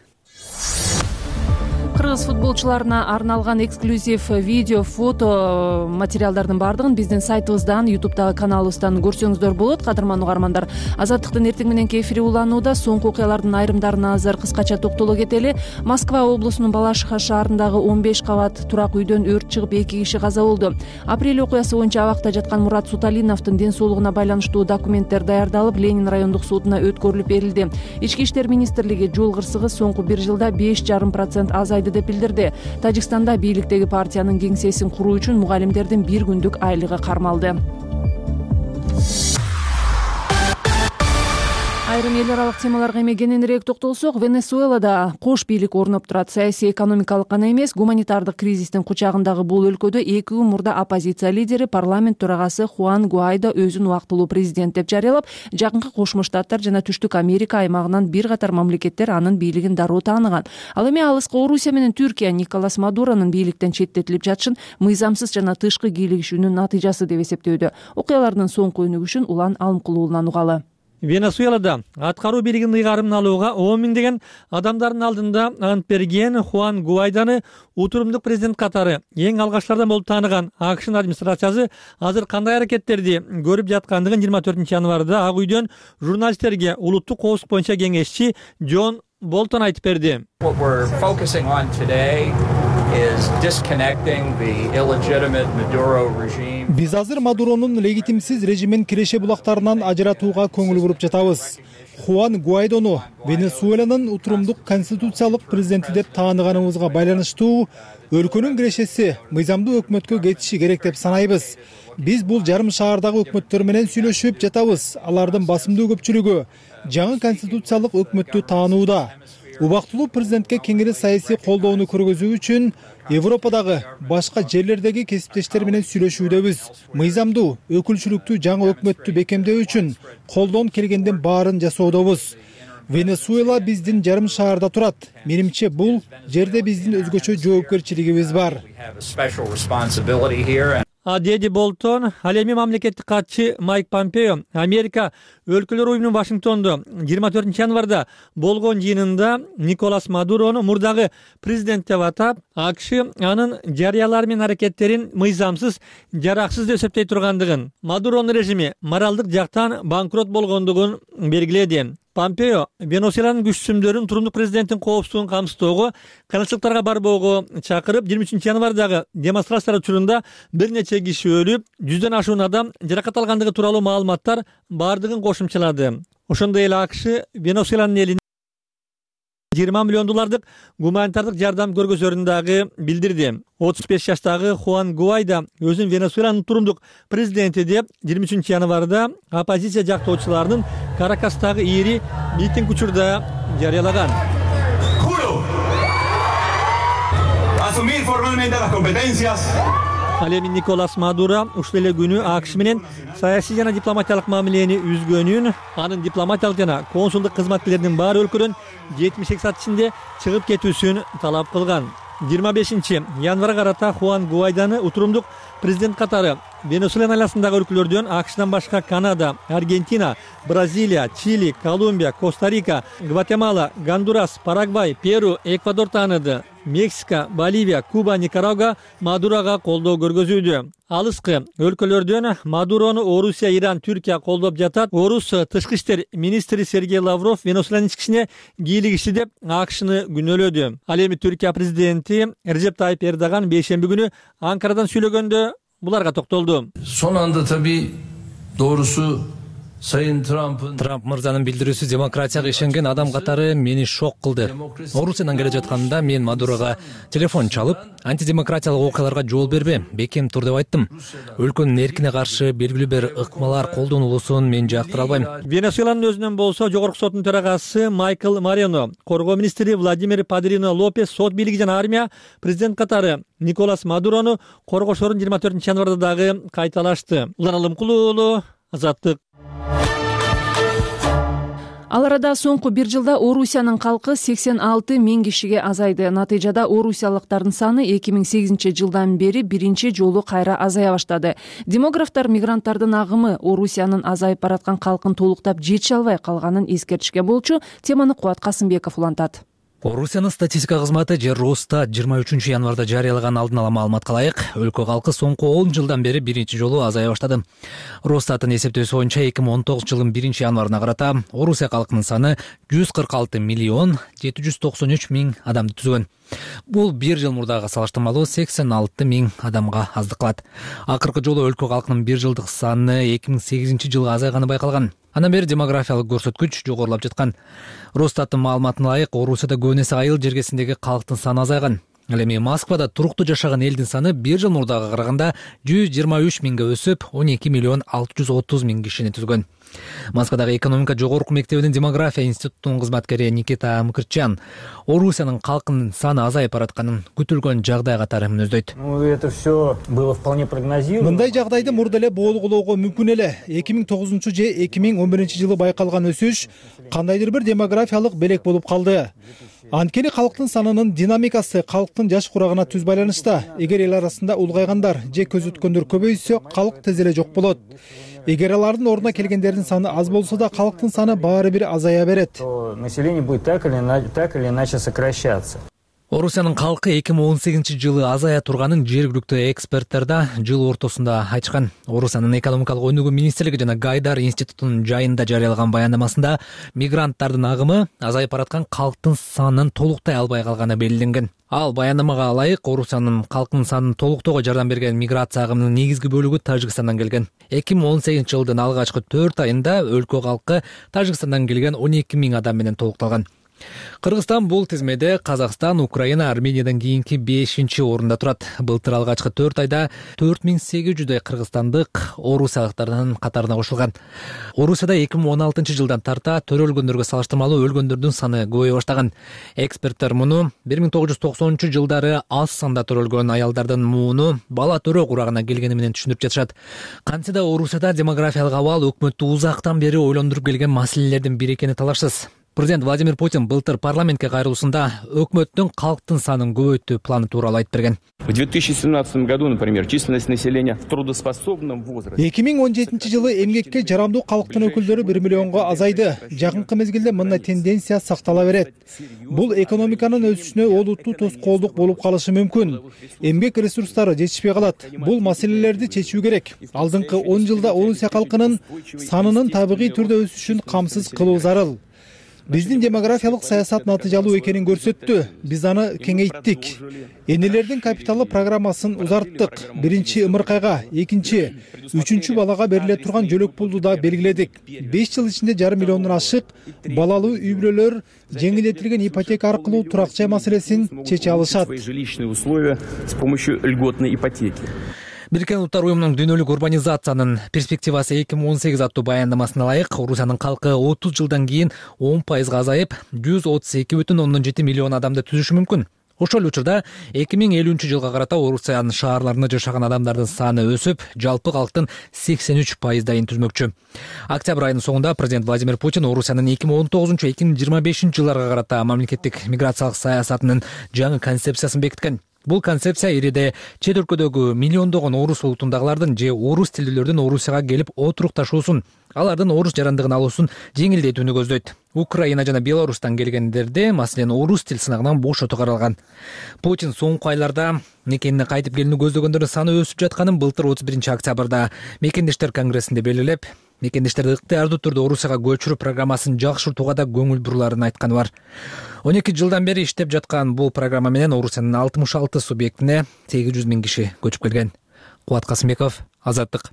Кыргыз футболчуларына арналган эксклюзив видео, фото материалдардын баардыгын биздин сайтыбыздан, ютубтагы каналыбыздан көрсөңүздөр болот. Кадырман угармандар, Азаттыктын эртең мененки эфири уланууда. Соңку окуялардын айрымдарына азыр кыскача токтоло кетели. Москва облусунун Балашиха шаарындагы он беш кабат турак үйдөн өрт чыгып, эки киши каза болду. Апрель окуясы боюнча абакта жаткан Мурат Суталиновдун ден соолугуна байланыштуу документтер даярдалып, Ленин райондук сотуна өткөрүлүп берилди. Ички иштер министрлиги жол кырсыгы соңку бир жылда беш жарым процент азайды деп билдирди. Тажикстанда бийликтеги партиянын кеңсесин куруу үчүн мугалимдердин бир күндүк айлыгы кармалды. Айрым эл аралык темаларга эми кененирээк токтолсок, Венесуэлада кош бийлик орноп турат. Саясий экономикалык гана эмес, гуманитардык кризистин кучагындагы бул өлкөдө эки күн мурда оппозиция лидери, парламент төрагасы Хуан Гуайдо өзүн убактылуу президент деп жарыялап, жакынкы Кошмо Штаттар жана Түштүк Америка аймагынан бир катар мамлекеттер анын бийлигин дароо тааныган. Ал эми алыскы Орусия менен Түркия Николас Мадуронун бийликтен четтетилип жатышын мыйзамсыз жана тышкы кийлигишүүнүн натыйжасы деп эсептөөдө. Окуялардын соңку өнүгүшүн Улан Алымкулуулунан угалы. Венесуэлада аткаруу бийлигинин ыйгарымын алууга он миңдеген адамдардын алдында ант берген Хуан Гуайданы утурумдук президент катары эң алгачтардан болуп тааныган АКШнын администрациясы азыр кандай аракеттерди көрүп жаткандыгын жыйырма төртүнчү январда Ак үйдөн журналисттерге улуттук коопсуздук боюнча кеңешчи Джон Болтон айтып берди. Биз азыр Мадуронун легитимсиз режимин киреше булактарынан ажыратууга көңүл буруп жатабыз. Хуан Гуайдону Венесуэланын утурумдук конституциялык президенти деп тааныганыбызга байланыштуу өлкөнүн кирешеси мыйзамдуу өкмөткө кетиши керек деп санайбыз. Биз бул жарым шаардагы өкмөттөр менен сүйлөшүп жатабыз. Алардын басымдуу көпчүлүгү жаңы конституциялык өкмөттү таанууда. Убактылуу президентке кеңири саясий колдоону көргөзүү үчүн Европадагы башка жерлердеги кесиптештер менен сүйлөшүүдөбүз. Мыйзамдуу өкүлчүлүктүү жаңы өкмөттү бекемдөө үчүн колдон келгендин баарын жасоодобуз. Венесуэла биздин жарым шаарда турат. Менимче бул жерде биздин өзгөчө жоопкерчилигибиз бар. Деди Болтон, ал эми мамлекеттик катчы Майк Помпео Америка өлкөлөр уюмунун Вашингтондо жыйырма төртүнчү январда болгон жыйынында Николас Мадурону мурдагы президент деп атап, АКШ анын жарыялары менен аракеттерин мыйзамсыз, жараксыз деп эсептей тургандыгын, Мадуронун режими моралдык жактан банкрот болгондугун белгиледи. Помпео Венесуэланын күчсүмдөрүн турумдук президенттин коопсуздугун камсыздоого, кыйынчылыктарга барбоого чакырып, жыйырма үчүнчү январдагы демонстрациялар учурунда бир нече киши өлүп, жүздөн ашуун адам жаракат алгандыгы тууралуу маалыматтар бардыгын кошумчалады. Ошондой эле АКШ Венесуэланын элине жыйырма миллион доллардык гуманитардык жардам көргөзөрүн дагы билдирди. отуз беш жаштагы Хуан Гуайдо өзүн Венесуэланын турумдук президенти деп жыйырма үчүнчү январда оппозиция жактоочуларынын Каракастагы ири митинг учурда жарыялаган. Ал эми Николас Мадуро ушул эле күнү АКШ менен саясий жана дипломатиялык мамилени үзгөнүн, анын дипломатиялык жана консулдук кызматкерлеринин баары өлкөдөн жетимиш эки саат ичинде чыгып кетүүсүн талап кылган. жыйырма бешинчи январга карата Хуан Гуайданы утурумдук президент катары Венесуэла айласындагы өлкөлөрдөн АКШдан башка Канада, Аргентина, Бразилия, Чили, Колумбия, Коста-Рика, Гватемала, Гондурас, Парагвай, Перу, Эквадор тааныды. Мексика, Боливия, Куба, Никарагуа Мадурога колдоо көргөзүүдө. Алыскы өлкөлөрдөн Мадурону Орусия, Иран, Түркия колдоп жатат. Орус тышкы иштер министри Сергей Лавров Венесуэланын ички ишине кийлигишти деп АКШны күнөөлөдү. Ал эми Түркия президенти Режеп Тайип Эрдоган бейшемби күнү Анкарадан сүйлөгөндө буларга токтолду. Son anda tabii doğrusu Трамп мырзанын билдирүүсү демократияга ишенген адам катары мени шок кылды. Орусиядан келе жатканда мен Мадурога телефон чалып, антидемократиялык окуяларга жол бербе, бекем тур деп айттым. Өлкөнүн эркине каршы белгилүү бир ыкмалар колдонулуусун мен жактыра албайм. Венесуэланын өзүнөн болсо жогорку соттун төрагасы Майкл Морено, коргоо министри Владимир Падрино Лопес, сот бийлиги жана армия президент катары Николас Мадурону коргошорун жыйырма төртүнчү январда дагы кайталашты. Улан Алымкулуу уулу, Азаттык. Ал арада соңку бир жылда Орусиянын калкы сексен алты миң кишиге азайды. Натыйжада орусиялыктардын саны эки миң сегизинчи жылдан бери биринчи жолу кайра азая баштады. Демографтар мигранттардын агымы Орусиянын азайып бараткан калкын толуктап жетише албай калганын эскертишкен болчу. Теманы Кубат Касымбеков улантат. Орусиянын статистика кызматы же Росстат жыйырма үчүнчү январда жарыялаган алдын ала маалыматка ылайык, өлкө калкы соңку он жылдан бери биринчи жолу азая баштады. Росстаттын эсептөөсү боюнча эки миң он тогузунчу жылдын биринчи январына карата Орусия калкынын саны жүз кырк алты миллион жети жүз токсон үч миң адамды түзгөн. Бул бир жыл мурдага салыштырмалуу сексен алты миң адамга аздык кылат. Акыркы жолу өлкө калкынын бир жылдык саны эки миң сегизинчи жылы азайганы байкалган. Андан бери демографиялык көрсөткүч жогорулап жаткан. Росстаттын маалыматына ылайык, Орусияда көбүнесе айыл жергесиндеги калктын саны азайган. Ал эми Москвада туруктуу жашаган элдин саны бир жыл мурдага караганда жүз жыйырма үч миңге өсүп, он эки миллион алты жүз отуз миң кишини түзгөн. Москвадагы экономика жогорку мектебинин демография институтунун кызматкери Никита Мкртчян Орусиянын калкынын саны азайып баратканын күтүлгөн жагдай катары мүнөздөйт. Мындай жагдайды мурда эле болгулоого мүмкүн эле. эки миң тогузунчу же эки миң он биринчи жылы байкалган өсүш кандайдыр бир демографиялык белек болуп калды. Анткени калктын санынын динамикасы калктын жаш курагына түз байланышта. Эгер эл арасында улгайгандар же көзөткөндөр көбөйсө, калк тез эле жок болот. Эгер алардын ордуна келгендердин саны аз болсо да, калктын саны баары бир азая берет. Население будет так или иначе сокращаться. Орусиянын калкы эки миң он сегизинчи жылы азая турганын жергиликтүү эксперттер да жыл ортосунда айтышкан. Орусиянын экономикалык өнүгүү министрлиги жана Гайдар институтунун жайында жарыялаган баяндамасында мигранттардын агымы азайып бараткан калктын санын толуктай албай калганы белгиленген. Ал баяндамага ылайык, Орусиянын калкынын санын толуктоого жардам берген миграция агымынын негизги бөлүгү Тажикстандан келген. эки миң он сегизинчи жылдын алгачкы төрт айында өлкө калкы Тажикстандан келген он эки миң адам менен толукталган. Кыргызстан бул тизмеде Казакстан, Украина, Армениядан кийинки бешинчи орунда турат. Былтыр алгачкы төрт айда төрт миң сегиз жүздөй кыргызстандык орусиялыктардын катарына кошулган. Орусияда эки миң он алтынчы жылдан тарта төрөлгөндөргө салыштырмалуу өлгөндөрдүн саны көбөйө баштаган. Эксперттер муну бир миң тогуз жүз токсонунчу жылдары аз санда төрөлгөн аялдардын мууну бала төрөө курагына келгени менен түшүндүрүп жатышат. Кантсе да Орусияда демографиялык абал өкмөттү узактан бери ойлондуруп келген маселелердин бири экени талашсыз. Президент Владимир Путин былтыр парламентке кайрылуусунда өкмөттүн калктын санын көбөйтүү планы тууралуу айтып берген. В две тысячи семнадцатом году, например, численность населения в трудоспособном возрасте. эки миң он жетинчи жылы эмгекке жарамдуу калктын өкүлдөрү бир миллионго азайды. Жакынкы мезгилде мындай тенденция сактала берет. Бул экономиканын өсүшүнө олуттуу тоскоолдук болуп калышы мүмкүн. Эмгек ресурстары жетишпей калат. Бул маселелерди чечүү керек. Алдыңкы он жылда Орусия калкынын санынын табигый түрдө өсүшүн камсыз кылуу зарыл. Биздин демографиялык саясат натыйжалуу экенин көрсөттү. Биз аны кеңейттик. Энелердин капиталы программасын узарттык. Биринчи ымыркайга, экинчи, үчүнчү балага бериле турган жөлөк пулду да белгиледик. беш жыл ичинде жарым миллиондон ашык балалуу үй-бүлөлөр жеңилдетилген ипотека аркылуу турак жай маселесин чече алышат. Жилищные условия с помощью льготной ипотеки. Бириккен Улуттар уюмунун дүйнөлүк урбанизациянын перспективасы эки миң он сегиз аттуу баяндамасына ылайык, Орусиянын калкы отуз жылдан кийин он пайызга азайып, жүз отуз эки бүтүн ондон жети миллион адамды түзүшү мүмкүн. Ошол учурда эки миң элүүнчү жылга карата Орусиянын шаарларында жашаган адамдардын саны өсүп, жалпы калктын сексен үч пайыздайын түзмөкчү. Октябрь айынын соңунда президент Владимир Путин Орусиянын эки миң он тогузунчу эки миң жыйырма бешинчи жылдарга карата мамлекеттик миграциялык саясатынын жаңы концепциясын бекиткен. Бул концепция ириде чет өлкөдөгү миллиондогон орус улутундагылардын же орус тилдүүлөрдүн Орусияга келип отурукташуусун, алардын орус жарандыгын алуусун жеңилдетүүнү көздөйт. Украина жана Беларустан келгендерде, маселен, орус тил сынагынан бошотуу каралган. Путин соңку айларда мекенине кайтып келүүнү көздөгөндөрдүн саны өсүп жатканын былтыр отуз биринчи октябрда Мекендештер конгрессинде белгилеп, мекендештерди ыктыярдуу түрдө Орусияга көчүрүү программасын жакшыртууга да көңүл буруларын айтканы бар. он эки жылдан бери иштеп жаткан бул программа менен Орусиянын алтымыш алты субъектине сегиз жүз миң киши көчүп келген. Кубат Касымбеков, Азаттык.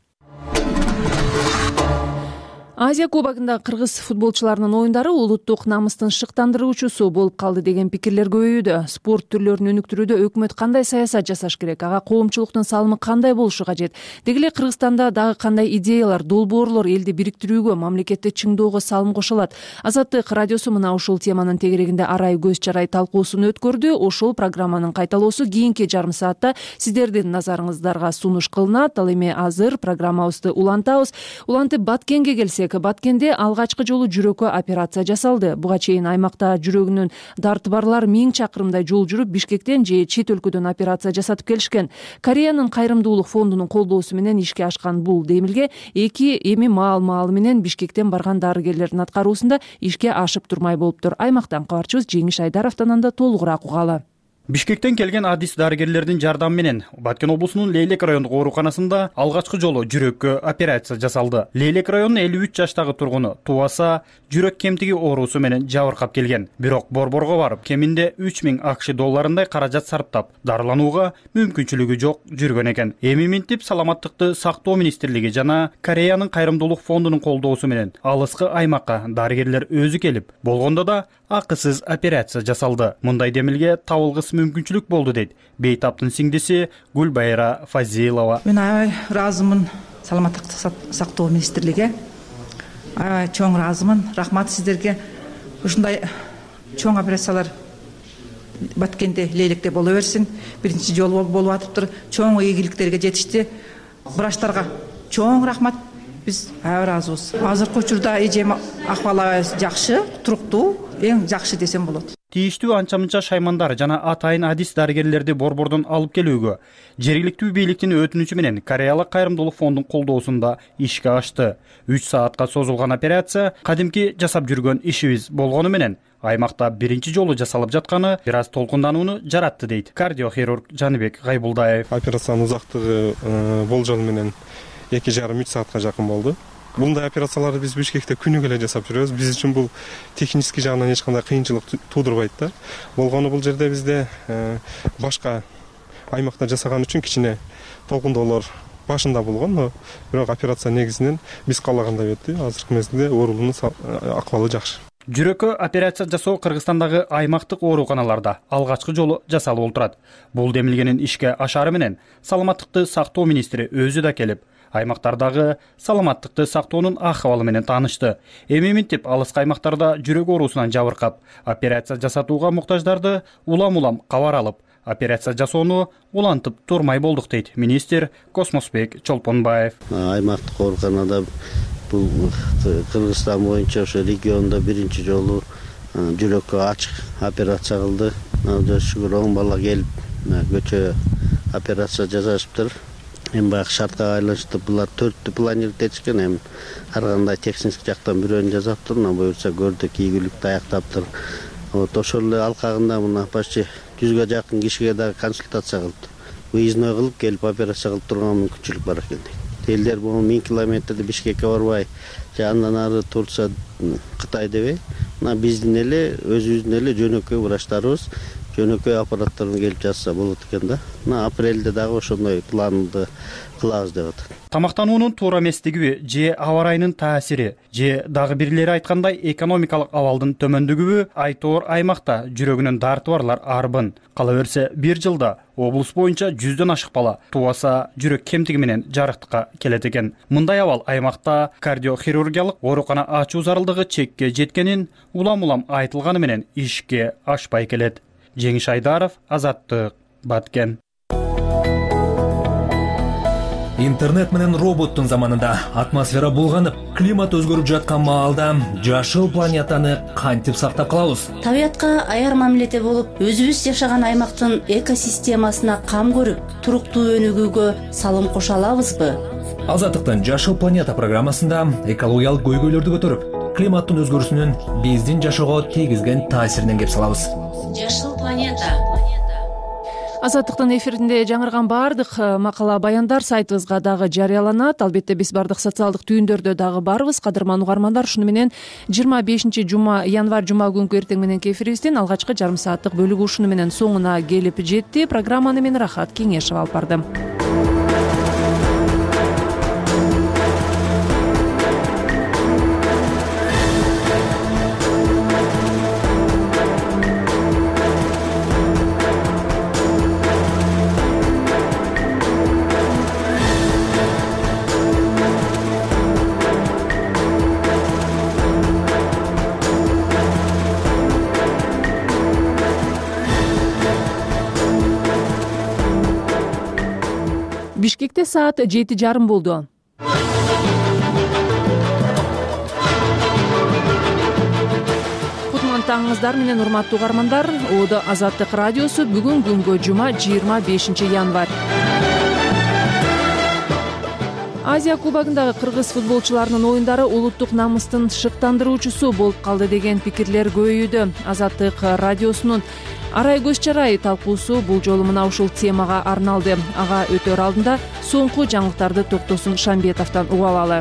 Азия кубогунда кыргыз футболчуларынын оюндары улуттук намыстын шыктандыруучусу болуп калды деген пикирлер көбөйүүдө. Спорт түрлөрүн өнүктүрүүдө өкмөт кандай саясат жасаш керек, ага коомчулуктун салымы кандай болушу кажет? Деги эле Кыргызстанда дагы кандай идеялар, долбоорлор элди бириктирүүгө, мамлекетти чыңдоого салым кошо алат? Азаттык радиосу мына ушул теманын тегерегинде арай көз чарай талкуусун өткөрдү. Ошол программанын кайталоосу кийинки жарым саатта сиздердин назарыңыздарга сунуш кылынат. Ал эми азыр программабызды улантабыз. Улантып Баткенге келсек, Баткенде алгачкы жолу жүрөккө операция жасалды. Буга чейин аймакта жүрөгүнүн дарты барлар миң чакырымдай жол жүрүп, Бишкектен же чет өлкөдөн операция жасатып келишкен. Кореянын кайрымдуулук фондунун колдоосу менен ишке ашкан бул демилге эки эми маал-маалы менен Бишкектен барган дарыгерлердин аткаруусунда ишке ашып турмай болуптур. Аймактан кабарчыбыз Жеңиш Айдаровдон анда толугураак угалы. Бишкектен келген адис дарыгерлердин жардамы менен Баткен облусунун Лейлек райондук ооруканасында алгачкы жолу жүрөккө операция жасалды. Лейлек районунун элүү үч жаштагы тургуну тубаса жүрөк кемтиги оорусу менен жабыркап келген. Бирок борборго барып, кеминде үч миң акш долларындай каражат сарптап, дарыланууга мүмкүнчүлүгү жок жүргөн экен. Эми минтип саламаттыкты сактоо министрлиги жана Кореянын кайрымдуулук фондунун колдоосу менен алыскы аймакка дарыгерлер өзү келип, болгондо да акысыз операция жасалды. Мындай демилге табылгыс мүмкүнчүлүк болду дейт Бейтаптын сиңдиси Гүлбайра Фазилова. Мен аябай ыраазымын саламаттыкты сактоо министрлиги. Аябай чоң ыраазымын. Рахмат сиздерге. Ушундай чоң операциялар Баткенде, Лейлекте боло берсин. Биринчи жолу болуп атыптыр. Чоң ийгиликтерге жетишти. Врачтарга чоң рахмат. Биз аябай ыраазыбыз. Азыркы учурда эжем акыбалы жакшы, туруктуу, эң жакшы десем болот. Тийиштүү анча-мынча шаймандар жана атайын адис дарыгерлерди борбордон алып келүүгө жергиликтүү бийликтин өтүнүчү менен Кореялык кайрымдуулук фондунун колдоосунда ишке ашты. үч саатка созулган операция кадимки жасап жүргөн ишибиз болгону менен аймакта биринчи жолу жасалып жатканы бир аз толкунданууну жаратты дейт кардиохирург Жаныбек Гайбулдаев. Операциянын узактыгы болжол менен эки жарым үч саатка жакын болду. Мындай операцияларды биз Бишкекте күнүгө эле жасап жүрөбүз. Биз үчүн бул технический жагынан эч кандай кыйынчылык туудурбайт да. Болгону бул жерде бизде башка аймакта жасаган үчүн кичине толкундоолор башында болгон, но бирок операция негизинен биз каалагандай өттү. Азыркы мезгилде оорунун акыбалы жакшы. Жүрөккө операция жасоо Кыргызстандагы аймактык ооруканаларда алгачкы жолу жасалып отурат. Бул демилгенин ишке ашары менен саламаттыкты сактоо министри өзү да келип, аймактардагы саламаттыкты сактоонун акыбалы менен таанышты. Эми минтип алыскы аймактарда жүрөк оорусунан жабыркап, операция жасатууга муктаждарды улам-улам кабар алып, операция жасоону улантып турмай болдук дейт министр Космосбек Чолпонбаев. Аймактык ооруканада бул Кыргызстан боюнча ошо региондо биринчи жолу жүрөккө ачык операция кылды. Шүгүр он бала келип көчө операция жасашыптыр. Эми баягы шартка байланыштуу булар төрттү планировать этишкен, эми ар кандай техник жактан бирөөнү жасаптыр, мына буюрса көрдүк ийгиликти аяктаптыр. Вот ошол эле алкагында мына почти жүзгө жакын кишиге дагы консультация кылып, выездной кылып келип операция кылып турган мүмкүнчүлүк бар экен. Элдер бул миң километрди Бишкекке барбай, же андан ары Турция, Кытай дебей, мына биздин эле өзүбүздүн эле жөнөкөй врачтарыбыз жөнөкөй аппараттарын келип жасаса болот экен да. Мына апрелде дагы ошондой планды кылабыз деп атат. Тамактануунун туура эместигиби же аба ырайынын таасири же дагы бирлери айткандай экономикалык абалдын төмөндүгүбү айтоор аймакта жүрөгүнүн дарты барлар арбын. Кала берсе бир жылда облус боюнча жүздөн ашык бала тубаса жүрөк кемтиги менен жарыктыкка келет экен. Мындай абал аймакта кардиохирургиялык оорукана ачуу зарылдыгы чекке жеткенин улам-улам айтылганы менен ишке ашпай келет. Жеңиш Айдаров, Азаттык, Баткен. Интернет менен роботтун заманында атмосфера булганып, климат өзгөрүп жаткан маалда жашыл планетаны кантип сактап калабыз? Табиятка аяр мамиледе болуп, өзүбүз жашаган аймактын экосистемасына кам көрүп, туруктуу өнүгүүгө салым кошо алабызбы? Азаттыктын Жашыл планета программасында экологиялык көйгөйлөрдү көтөрүп, климаттын өзгөрүүсүнүн биздин жашоого тийгизген таасиринен кеп салабыз. Жашыл планета. Азаттыктын эфиринде жаңырган бардык макала баяндар сайтыбызга дагы жарыяланат. Албетте биз бардык социалдык түйүндөрдө дагы барбыз. Кадырман угармандар, шуну менен жыйырма бешинчи жума январь жума күнкү эртең мененки эфирибиздин алгачкы жарым сааттык бөлүгү ушуну менен соңуна келип жетти. Программаны мен Рахат Кеңешова алып бардым. Бишкекте саат жети жарым болду. Кутман таңыңыздар менен урматтуу угармандар. Оодо Азаттык радиосу бүгүн күнгө жума жыйырма бешинчи январь. Азия кубогундагы кыргыз футболчуларынын оюндары улуттук намыстын шыктандыруучусу болуп калды деген пикирлер көбөйүүдө. Азаттык радиосунун Арай көз чарай талкуусу бул жолу мына ушул темага арналды. Ага өтөр алдында соңку жаңылыктарды Токтосун Шамбетовдон угуп алалы.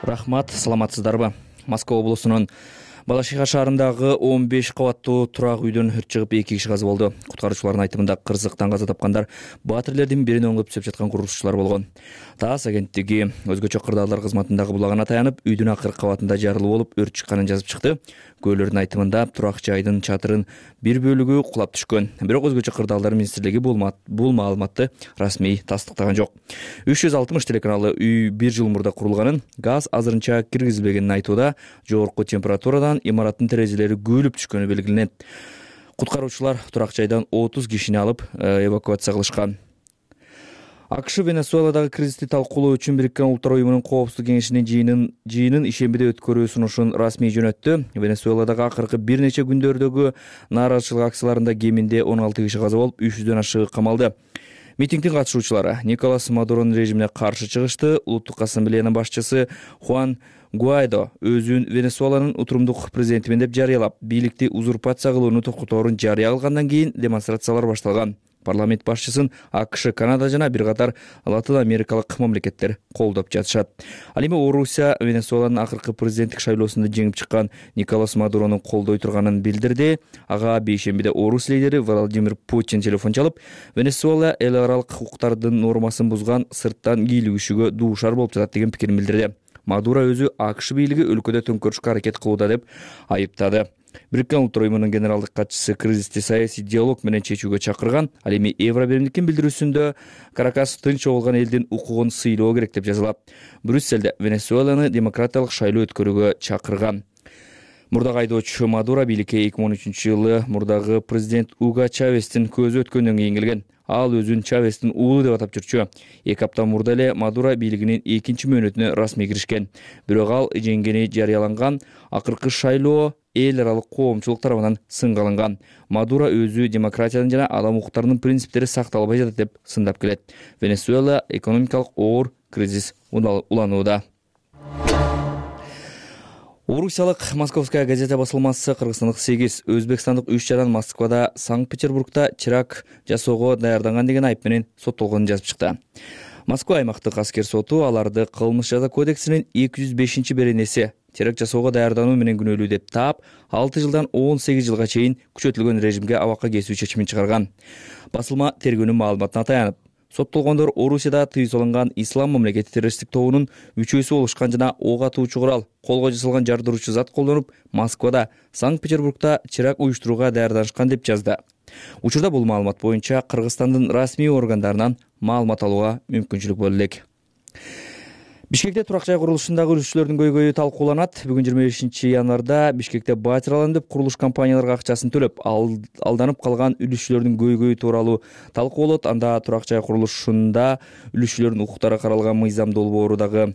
Рахмат, саламатсыздарбы? Москва облусунун Балашиха шаарындагы он беш кабаттуу турак үйдөн өрт чыгып эки киши каза болду. Куткаруучулардын айтымында кырсыктан каза тапкандар батирлердин бирин оңдоп түзөп жаткан курулушчулар болгон. ТАСС агенттиги өзгөчө кырдаалдар кызматындагы булагына таянып, үйдүн акыркы кабатында жарылуу болуп өрт чыкканын жазып чыкты. Көөлөрдүн айтымында турак жайдын чатырын бир бөлүгү кулап түшкөн. Бирок өзгөчө кырдаалдар министрлиги бул маалыматты расмий тастыктаган жок. үч жүз алтымыш телеканалы үй бир жыл мурда курулганын, газ азырынча киргизилбегенин айтууда, жогорку температурадан имараттын терезелери күйүлүп түшкөнү белгиленет. Куткаруучулар турак жайдан отуз кишини алып эвакуация кылышкан. АКШ Венесуэладагы кризисти талкуулоо үчүн Бириккен Улуттар уюмунун коопсуздук кеңешинин жыйынын жыйынын ишембиде өткөрүү сунушун расмий жөнөттү. Венесуэладагы акыркы бир нече күндөрдөгү нааразычылык акцияларында кеминде он алты киши каза болуп, үч жүздөн ашыгы камалды. Митингдин катышуучулары Николас Мадуронун режимине каршы чыгышты. Улуттук ассамблеянын башчысы Хуан Гуайдо өзүн Венесуэланын утурумдук президентимин деп жарыялап, бийликти узурпация кылууну токтоторун жарыя кылгандан кийин демонстрациялар башталган. Парламент башчысын АКШ, Канада жана бир катар Латын Америкалык мамлекеттер колдоп жатышат. Ал эми Орусия Венесуэланын акыркы президенттик шайлоосунда жеңип чыккан Николас Мадуронун колдой турганын билдирди. Ага бейшембиде Орус лидери Владимир Путин телефон чалып, Венесуэла эл аралык укуктардын нормасын бузган, сырттан кийлигишүүгө дуушар болуп жатат деген пикирин билдирди. Мадуро өзү АКШ бийлиги өлкөдө төңкөрүшкө аракет кылууда деп айыптады. Бириккен Улуттар уюмунун генералдык катчысы кризисти саясий диалог менен чечүүгө чакырган. Ал эми Евробиримдиктин билдирүүсүндө Каракас тынч чогулган элдин укугун сыйлоо керек деп жазылат. Брюсселде Венесуэланы демократиялык шайлоо өткөрүүгө чакырган. Мурдагы айдоочу Мадуро бийликке эки миң он үчүнчү жылы мурдагы президент Уго Чавестин көзү өткөндөн кийин келген. Ал өзүн Чавестин уулу деп атап жүрчү. Эки апта мурда эле Мадуро бийлигинин экинчи мөөнөтүнө расмий киришкен. Бирок ал жеңгени жарыяланган акыркы шайлоо эл аралык коомчулук тарабынан сынга алынган. Мадуро өзү демократиянын жана адам укуктарынын принциптери сакталбай жатат деп сындап келет. Венесуэла экономикалык оор кризис уланууда. Орусиялык Московская газета басылмасы кыргызстандык сегиз, өзбекстандык үч жаран Москвада, Санкт-Петербургда чырак жасоого даярданган деген айып менен соттолгонун жазып чыкты. Москва аймактык аскер соту аларды кылмыш жаза кодексинин эки жүз бешинчи беренеси терак жасоого даярдануу менен күнөөлүү деп таап, алты жылдан он сегиз жылга чейин күчөтүлгөн режимге абакка кесүү чечимин чыгарган. Басылма тергөөнүн маалыматына таянып, соттолгондор Орусияда тыюу салынган ислам мамлекети террористтик тобунун мүчөсү болушкан жана ок атуучу курал, колго жасалган жардыруучу зат колдонуп, Москвада, Санкт-Петербургда чырак уюштурууга даярданышкан деп жазды. Учурда бул маалымат боюнча Кыргызстандын расмий органдарынан маалымат алууга мүмкүнчүлүк боло элек. Бишкекте турак жай курулушундагы үлүшчүлөрдүн көйгөйү талкууланат. Бүгүн жыйырма бешинчи январда Бишкекте батир алам деп курулуш компанияларга акчасын төлөп, алданып калган үлүшчүлөрдүн көйгөйү тууралуу талкуу болот. Анда турак жай курулушунда үлүшчүлөрдүн укуктары каралган мыйзам долбоору дагы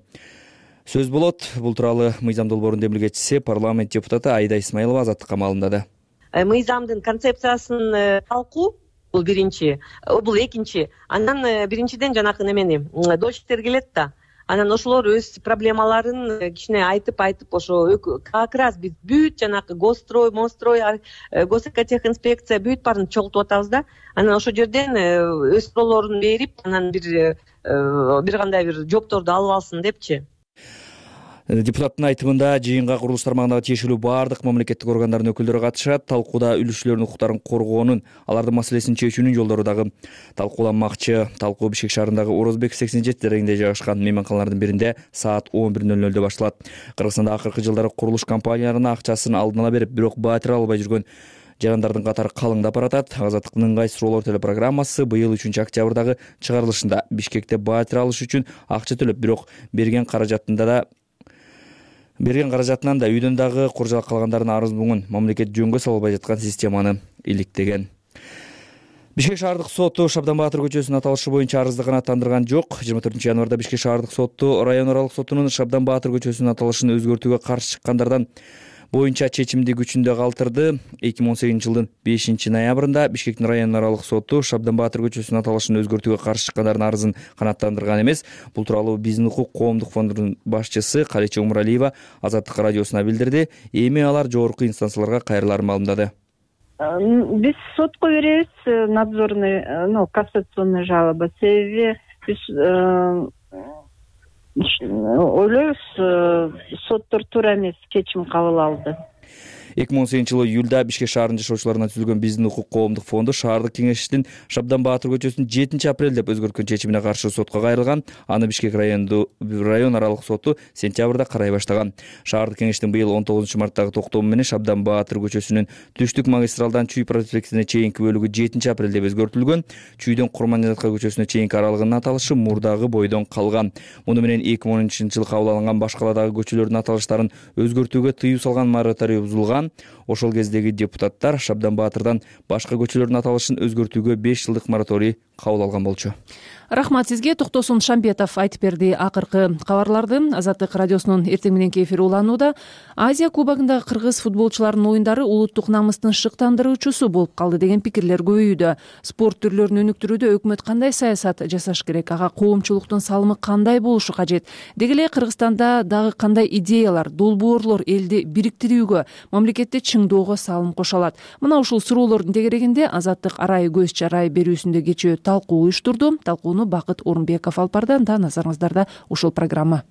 сөз болот. Бул тууралуу мыйзам долбоорунун демилгечиси парламент депутаты Айда Исмаилова Азаттыкка маалымдады. Мыйзамдын концепциясын талкуу бул биринчи, бул экинчи. Андан биринчиден жанакы немени дольщиктер келет да. Анан ошолор өз проблемаларын кичине айтып айтып ошо как раз биз бүт жанакы госстрой, монстрой, госэкотехинспекция бүт баарын чогултуп атабыз да. Анан ошол жерден өз суроолорун берип, анан бир бир кандай бир жоопторду алып алсын депчи. Депутаттын айтымында жыйынга курулуш тармагындагы тиешелүү баардык мамлекеттик органдардын өкүлдөрү катышат. Талкууда үлүшчүлөрдүн укуктарын коргоонун, алардын маселесин чечүүнүн жолдору дагы талкууланмакчы. Талкуу Бишкек шаарындагы Орозбек сексен жети дарегинде жайгашкан мейманканалардын биринде саат он бир ноль нөлдө башталат. Кыргызстанда акыркы жылдары курулуш компанияларына акчасын алдын ала берип, бирок батир албай жүргөн жарандардын катары калыңдап баратат. Азаттыктын ыңгай суроолор телепрограммасы быйыл үчүнчү октябрдагы чыгарылышында Бишкекте батир алыш үчүн акча төлөп, бирок берген каражатында да Берген каражатынан да үйдөн дагы куржалак калгандардын арыз буңун мамлекет жөнгө сала албай жаткан системаны иликтеген. Бишкек шаардык соту Шабдан Баатыр көчөсүнүн аталышы боюнча арызды канааттандырган жок. жыйырма төртүнчү январда Бишкек шаардык соту район аралык сотунун Шабдан Баатыр көчөсүнүн аталышын өзгөртүүгө каршы чыккандардан боюнча чечимди күчүндө калтырды. эки миң он сегизинчи жылдын бешинчи ноябрында Бишкектин район аралык соту Шабдан Баатыр көчөсүнүн аталышын өзгөртүүгө каршы чыккандардын арызын канааттандырган эмес. Бул тууралуу Биздин укук коомдук фондунун башчысы Калече Умуралиева Азаттык радиосуна билдирди. Эми алар жогорку инстанцияларга кайрыларын маалымдады. Биз сотко беребиз надзорный, ну, кассационный жалоба. Себеби биз ойлойбуз, соттор туура эмес чечим кабыл алды. эки миң он сегизинчи жылы июлда Бишкек шаарынын жашоочуларына түзүлгөн Биздин укук коомдук фонду шаардык кеңештин Шабдан Баатыр көчөсүн жетинчи апрель деп өзгөрткөн чечимине каршы сотко кайрылган. Аны Бишкек райондуу район аралык соту сентябрда карай баштаган. Шаардык кеңештин быйыл он тогузунчу марттагы токтому менен Шабдан Баатыр көчөсүнүн түштүк магистралдан Чүй проспектине чейинки бөлүгү жетинчи апрель деп өзгөртүлгөн. Чүйдөн Курманжанатка көчөсүнө чейинки аралыгынын аталышы мурдагы бойдон калган. Муну менен эки миң он үчүнчү жылы кабыл алынган башка каладагы көчөлөрдүн аталыштарын өзгөртүүгө тыюу салган мораторий бузулган. Ошол кездеги депутаттар Шабдан Баатырдан башка көчөлөрдүн аталышын өзгөртүүгө беш жылдык мораторий кабыл алган болчу. Рахмат сизге. Токтосун Шамбетов айтып берди акыркы кабарларды. Азаттык радиосунун эртең мененки эфири уланууда. Азия кубогундагы кыргыз футболчуларынын оюндары улуттук намыстын шыктандыруучусу болуп калды деген пикирлер көбөйүүдө. Спорт түрлөрүн өнүктүрүүдө өкмөт кандай саясат жасаш керек? Ага коомчулуктун салымы кандай болушу кажет? Деги эле Кыргызстанда дагы кандай идеялар, долбоорлор элди бириктирүүгө, мамлекетти чыңдоого салым кошо алат? Мына ушул суроолордун тегерегинде Азаттык арай көз чарай берүүсүндө кечээ талкуу уюштурду. Талкууну Бакыт Орунбеков алып барды. Анда назарыңыздарда ушул программа.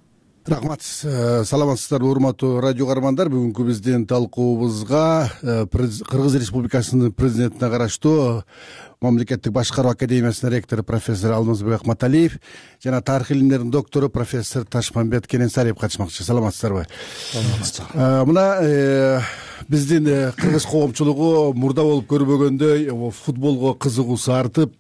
Рахмат. Саламатсыздарбы урматтуу радио каармандар. Бүгүнкү биздин талкуубузга Кыргыз Республикасынын президентине караштуу Мамлекеттик башкаруу академиясынын ректору профессор Алмазбек Акматалиев жана тарых илимдеринин доктору профессор Ташмамбет Кененсариев катышмакчы. Саламатсыздарбы? Мына биздин кыргыз коомчулугу мурда болуп көрбөгөндөй футболго кызыгуусу артып,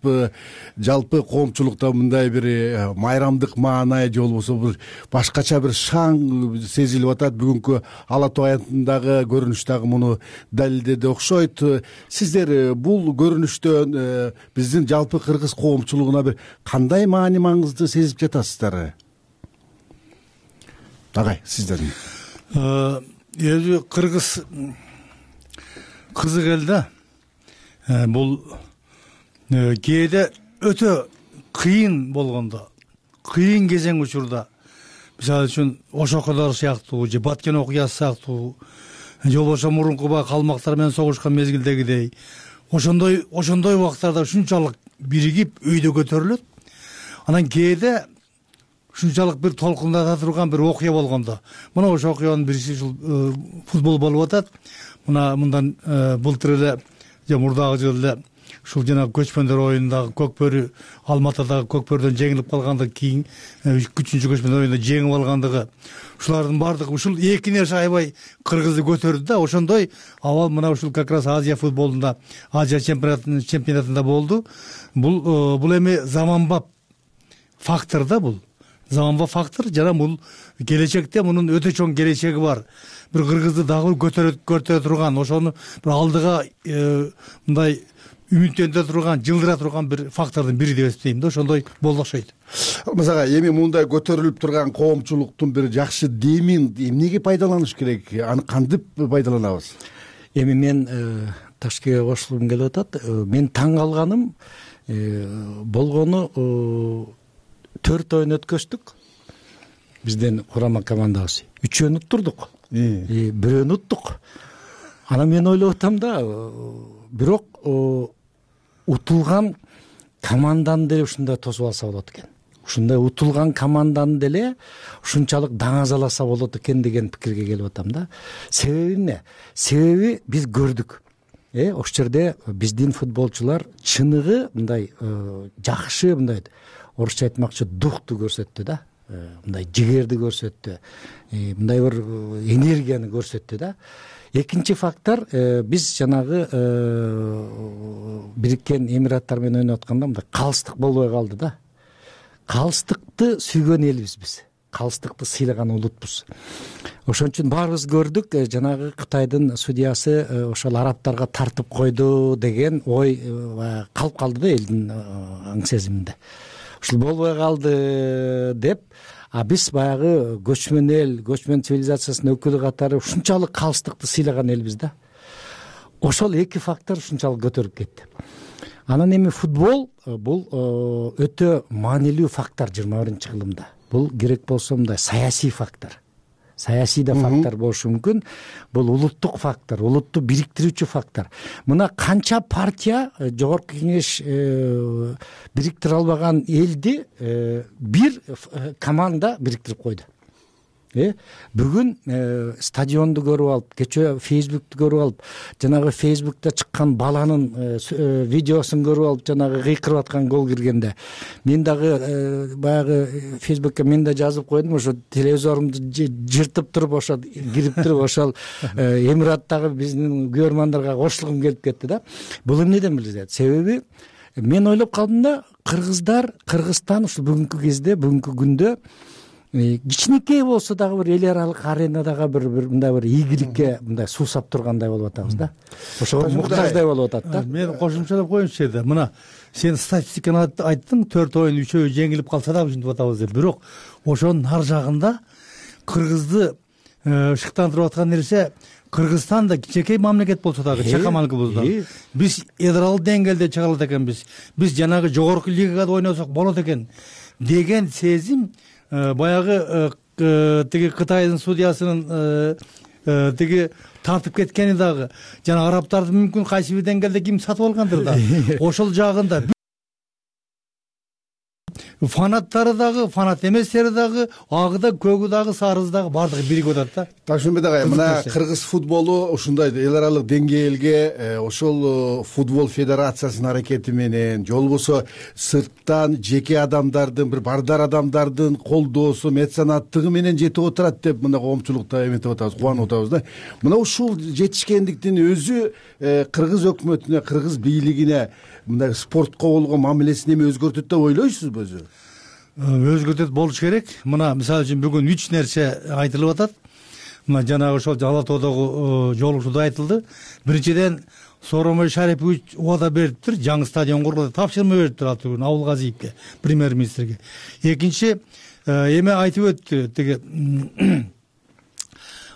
жалпы коомчулукта мындай бир майрамдык маанай же болбосо бир башкача бир шаң сезилип атат. Бүгүнкү Ала Тоо аянтындагы көрүнүш дагы муну далилдеди окшойт. Сиздер бул көрүнүштөн биздин жалпы кыргыз коомчулугуна бир кандай маани маңызды сезип жатасыздар? Агай, сиздердин. Эми кыргыз кызык эл да. Бул кээде өтө кыйын болгондо, кыйын кезең учурда, мисалы үчүн Ошокодор сыяктуу же Баткен окуясы сыяктуу, же болбосо мурунку баягы калмактар менен согушкан мезгилдегидей, ошондой ошондой убактарда ушунчалык биригип өйдө көтөрүлөт. Анан кээде ушунчалык бир толкундата турган бир окуя болгондо, мына ошол окуянын бириси ушул футбол болуп атат. Мына мындан былтыр эле же мурдагы жылы эле ушул жанагы көчмөндөр оюнундагы Көкбөрү, Алматыдагы Көкбөрүдөн жеңилип калгандан кийин үчүнчү көчмөндөр оюнунда жеңип алгандыгы, ушулардын баардыгы ушул эки нерсе аябай кыргызды көтөрдү да. Ошондой абал мына ушул как раз Азия футболунда, Азия чемпионатында болду. Бул бул эми заманбап фактор да, бул заманбап фактор. Жана бул келечекте мунун өтө чоң келечеги бар. Бир кыргызды дагы көтөрө көтөрө турган, ошону бир алдыга мындай үмүттөндүрө турган, жылдыра турган бир фактордун бири деп эсептейм да. Ошондой болду окшойт. Мисалга эми мындай көтөрүлүп турган коомчулуктун бир жакшы демин эмнеге пайдаланыш керек? Аны кантип пайдаланабыз? Эми мен Ташкентке кошулгум келип атат. Мен таң калганым болгону төрт оюн өткөздүк. Биздин курама командабыз. Үчөөнү уттурдук. Бирөөнү уттук. Анан мен ойлоп атам да, бирок утулган команданы деле ушундай тосуп алса болот экен. Ушундай утулган команданы деле ушунчалык даңазаласа болот экен деген пикирге келип атам да. Себеби эмне? Себеби биз көрдүк. Э, ошол жерде биздин футболчулар чыныгы мындай жакшы, мындай орусча айтмакчы духту көрсөттү да. Мындай жигерди көрсөттү. Мындай бир энергияны көрсөттү да. Экинчи фактор, биз жанагы Бириккен Эмираттар менен ойноп атканда мындай калыстык болбой калды да. Калыстыкты сүйгөн элбиз биз. калыстыкты сыйлаган улутпуз. Ошон үчүн баарыбыз көрдүк, жанагы Кытайдын судьясы ошол арабтарга тартып койду деген ой калып калды да элдин аң сезиминде. Ушул болбой калды деп, а биз баягы көчмөн эл, көчмөн цивилизациясынын өкүлү катары ушунчалык калыстыкты сыйлаган элбиз да. Ошол эки фактор ушунчалык көтөрүп кетти. Анан эми футбол бул өтө маанилүү фактор жыйырма биринчи кылымда. Бул керек болсо мындай саясий фактор. Саясий да фактор болушу мүмкүн. Бул улуттук фактор, улутту бириктирүүчү фактор. Мына канча партия жогорку кеңеш бириктире албаган элди бир команда бириктирип койду. Бүгүн стадионду көрүп алып, кечээ Фейсбукту көрүп алып, жанагы Фейсбукта чыккан баланын видеосун көрүп алып, жанагы кыйкырып аткан гол киргенде, мен дагы баягы Фейсбукка мен да жазып койдум, ошо телевизорумду жыртып туруп, ошо кирип туруп, ошол Эмираттагы биздин көрөрмандарга кошулгум келип кетти да. Бул эмнеден билет? Себеби мен ойлоп калдым да, кыргыздар, Кыргызстан ушул бүгүнкү кезде, бүгүнкү күндө кичинекей болсо дагы бир эл аралык аренадагы бир бир мындай бир ийгиликке мындай суусап тургандай болуп атабыз да. Ошого муктаждай болуп атат да. Мен кошумчалап коеюнчу жерде, мына сен статистиканы айттың, төрт оюн үчөө жеңилип калса да ушинтип атабыз деп. Бирок ошонун ар жагында кыргызды шыктандырып аткан нерсе, Кыргызстан да кичинекей мамлекет болсо дагы, чакаман кылбызда. Биз эдрал деңгээлде чыга алат экенбиз. Биз жанагы жогорку лигада ойносок болот экен деген сезим баягы тиги Кытайдын судьясынын тиги тартып кеткени дагы, жана арабтарды мүмкүн кайсы бир деңгээлде ким сатып алгандыр да. Ошол жагында фанаттары дагы, фанат эместери дагы, агы да, көгү дагы, сарысы дагы баардыгы биригип атат да. Ташмембет агай, мына кыргыз футболу ушундай эл аралык деңгээлге ошол футбол федерациясынын аракети менен, же болбосо сырттан жеке адамдардын, бир бардар адамдардын колдоосу, меценаттыгы менен жетип отурат деп мына коомчулукта эметип атабыз, кубанып атабыз да. Мына ушул жетишкендиктин өзү кыргыз өкмөтүнө, кыргыз бийлигине мындай спортко болгон мамилесин эми өзгөртөт деп ойлойсузбу өзү? Өзгөртөт болуш керек. Мына мисалы үчүн бүгүн үч нерсе айтылып атат. Мына жанагы ошол Ала тоодогу жолугушууда айтылды. Биринчиден, Сооронбай Шарипович убада бериптир, жаңы стадион кургузат, тапшырма бериптир ал түгүн Абылгазиевке, премьер-министрге. Экинчи, эме айтып өттү, тиги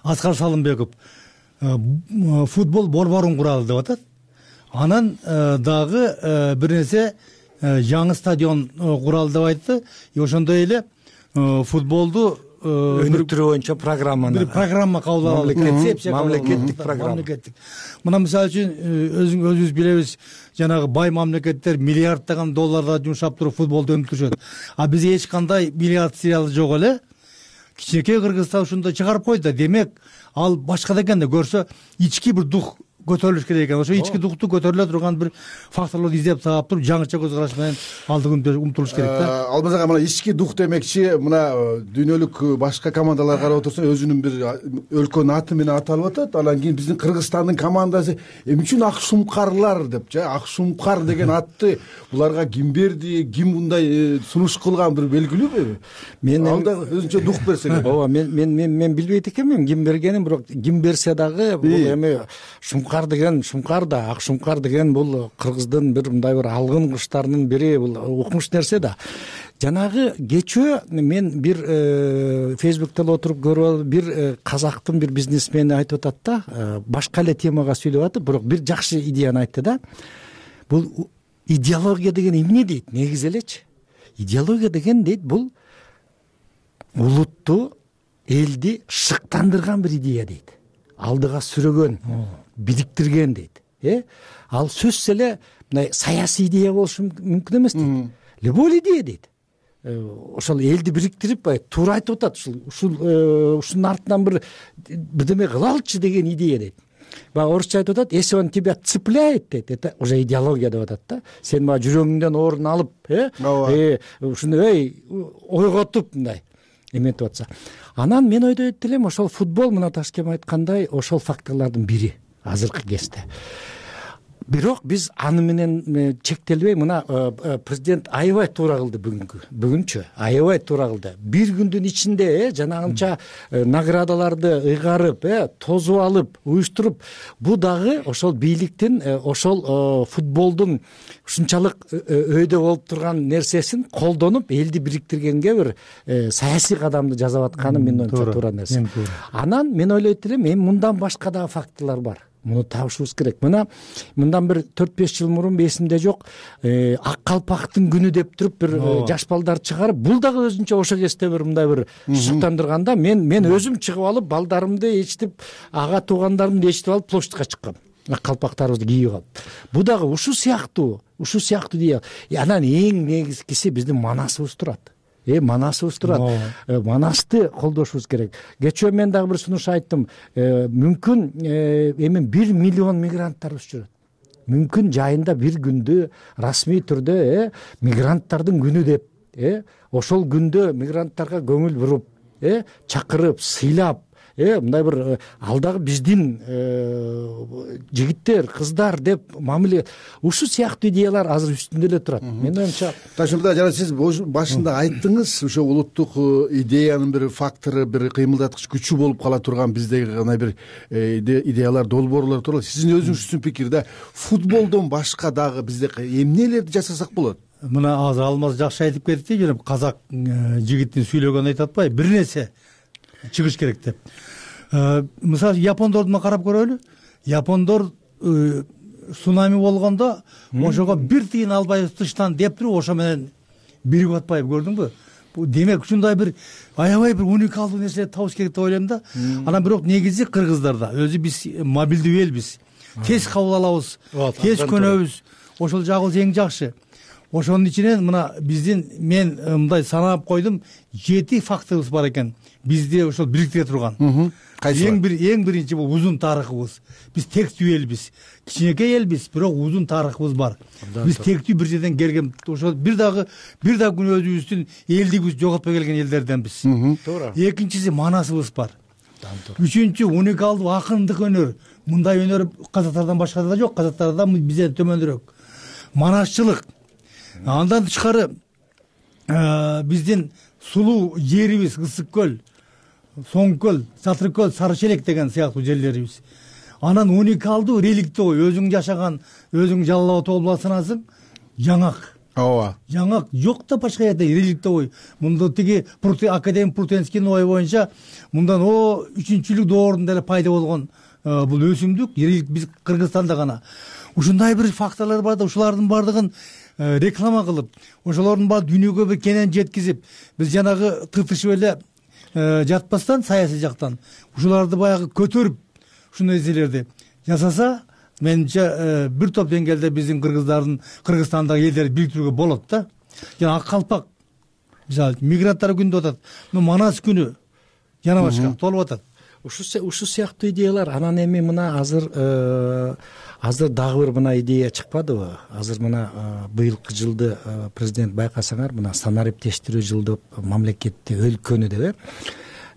Аскар Салымбеков, футбол борборун куралы деп атат. Анан дагы бир нерсе жаңы стадион куралы деп айтты. Ошондой эле футболду өнүктүрүү боюнча программаны, бир программа кабыл алалы, концепция, мамлекеттик программа. Мына мисалы үчүн өзүбүз билебиз, жанагы бай мамлекеттер миллиарддаган долларда жумшап туруп футболду өнүктүрүшөт. А бизде эч кандай миллиард сериалы жок эле. Кичинекей Кыргызстан ушундай чыгарып койду. Демек, ал башка да экен да көрсө, ички бир дух көтөрүлүш керек экен. Ошо ички духту көтөрүлө турган бир факторлорду издеп таап туруп, жаңыча көз караш менен алдыга умтулуш керек да. Албаз ага, мына ички дух демекчи, мына дүйнөлүк башка командалар карап отурса, өзүнүн бир өлкөнүн аты менен аталып атат. Анан кийин биздин Кыргызстандын командасы эмне үчүн Ак Шумкарлар деп, же Ак Шумкар деген атты буларга ким берди, ким мындай сунуш кылган, бир белгилүүбү? Мен алда өзүнчө дух берсе керек. Ооба, мен мен мен мен билбейт экенмин ким бергенин, бирок ким берсе дагы бул эми Шумкар деген, Шумкар да, Ак Шумкар деген бул кыргыздын бир мындай бир алгын кыштарынын бири, бул укмуш нерсе да. Жанагы кечөө мен бир Фейсбукта отуруп көрүп алып, бир казактын бир бизнесмени айтып атат да, башка эле темага сүйлөп атып, бирок бир жакшы идеяны айтты да. Бул идеология деген эмне дейт? Негизи элечи. Идеология деген дейт, бул улутту, элди шыктандырган бир идея дейт. Алдыга сүрөгөн, бириктирген дейт. Э? Ал сөзсүз эле мындай саясий идея болушу мүмкүн эмес дейт. Любой идея дейт. Ошол элди бириктирип, туура айтып атат, ушул ушул ушунун артынан бир бирдеме кылалычы деген идея дейт. Баягы орусча айтып атат, если он тебя цепляет дейт, это уже идеология деп атат да. Сен мага жүрөгүңдөн орун алып, э, ушуну эй ойготуп мындай эметип атса. Анан мен ойдойт элем, ошол футбол, мына Ташкем айткандай, ошол факторлордун бири азыркы кезде. бирок биз аны менен чектелбей мына президент аябай туура кылды бүгүнкү бүгүнчү аябай туура кылды. Бир күндүн ичинде э жанагынча наградаларды ыйгарып э тосуп алып уюштуруп, бул дагы ошол бийликтин ошол футболдун ушунчалык өйдө болуп турган нерсесин колдонуп элди бириктиргенге бир саясий кадамды жасап атканы менин оюмча туура нерсе. Анан мен ойлойт элем, эми мындан башка дагы фактылар бар. Муну табышыбыз керек. Мына мындан бир төрт беш жыл мурун эсимде жок, ак калпактын күнү деп туруп бир жаш балдар чыгарып, бул дагы өзүнчө ошо кезде бир мындай бир шуктандырганда мен мен өзүм чыгып алып балдарымды ээрчитип, ага туугандарымды ээрчитип алып площадька чыккам. Ак калпактарыбызды кийип алып. Бул дагы ушул сыяктуу, ушул сыяктуу дей. Анан эң негизгиси биздин манасыбыз турат. Э манасыбыз турат. Манасты колдошубуз керек. Кечээ мен дагы бир сунуш айттым. Мүмкүн эми бир миллион мигранттарыбыз жүрөт. Мүмкүн жайында бир күндү расмий түрдө э мигранттардын күнү деп э ошол күндө мигранттарга көңүл буруп э чакырып, сыйлап э мындай бир ал дагы биздин жигиттер, кыздар деп мамиле, ушул сыяктуу идеялар азыр үстүндө эле турат. Менин оюмча Ташмырза, жана сиз башында айттыңыз, ошо улуттук идеянын бир фактору, бир кыймылдаткыч күчү болуп кала турган биздеги кандай бир идеялар, долбоорлор тууралуу. Сиздин өзүңүздүн пикирде футболдон башка дагы бизде эмнелерди жасасак болот? Мына азыр Алмаз жакшы айтып кетти, жана казак жигитин сүйлөгөнүн айтып атпайбы, бир нерсе чыгыш керек деп. Мисалы япондорду карап көрөлү. Япондор цунами болгондо ошого бир тыйын албайбыз тыштан деп туруп, ошо менен бирип атпайбы, көрдүңбү? Демек ушундай бир аябай бир уникалдуу нерсе табыш керек деп ойлойм да. Анан бирок негизи кыргыздарда өзү биз мобилдүү элбиз. Тез кабыл алабыз, тез көнөбүз. Ошол жагы эң жакшы. Ошонун ичинен мына биздин мен мындай санап койдум, жети факторубуз бар экен. Бизди ошол бириктире турган. Эң бир эң биринчи бул узун тарыхыбыз. Биз тектүү элбиз. Кичинекей элбиз, бирок узун тарыхыбыз бар. Биз тектүү бир жерден келген, ошол бир дагы бир дагы күн өзүбүздүн элдигибизди жоготпой келген элдерденбиз. Туура. Экинчиси манасыбыз бар. Үчүнчү уникалдуу акындык өнөр. Мындай өнөр казактардан башкада да жок, казактарда бизден төмөнүрөөк. Манасчылык. Андан тышкары биздин сулуу жерибиз, Ысык көл, Соң көл, Сатыр көл, Сары Челек деген сыяктуу жерлерибиз. Анан уникалдуу реликтөө, өзүң жашаган, өзүң жалалап толуп санасың, жаңак. Ооба. Жаңак жок да башка жерде реликтөө. Мында тиги академик Прутенскийдин ою боюнча мындан о үчүнчү доорунда эле пайда болгон бул өсүмдүк, реликт биз Кыргызстанда гана. Ушундай бир факторлор бар да, ушулардын бардыгын реклама кылып, ошолордун баары дүйнөгө бир кенен жеткизип, биз жанагы тытышып эле жатпастан саясий жактан ушуларды баягы көтөрүп, ушундай нерселерди жасаса, менимче бир топ деңгээлде биздин кыргыздардын, Кыргызстандагы элдерди бириктирүүгө болот да. Жана ак калпак, мисалы мигранттар күнү деп атат, Манас күнү жана башка толуп атат. Ушул ушул сыяктуу идеялар. Анан эми мына азыр азыр дагы бир мына идея чыкпадыбы? Азыр мына быйылкы жылды президент байкасаңар, мына санариптештирүү жылы деп мамлекетти өлкөнү деп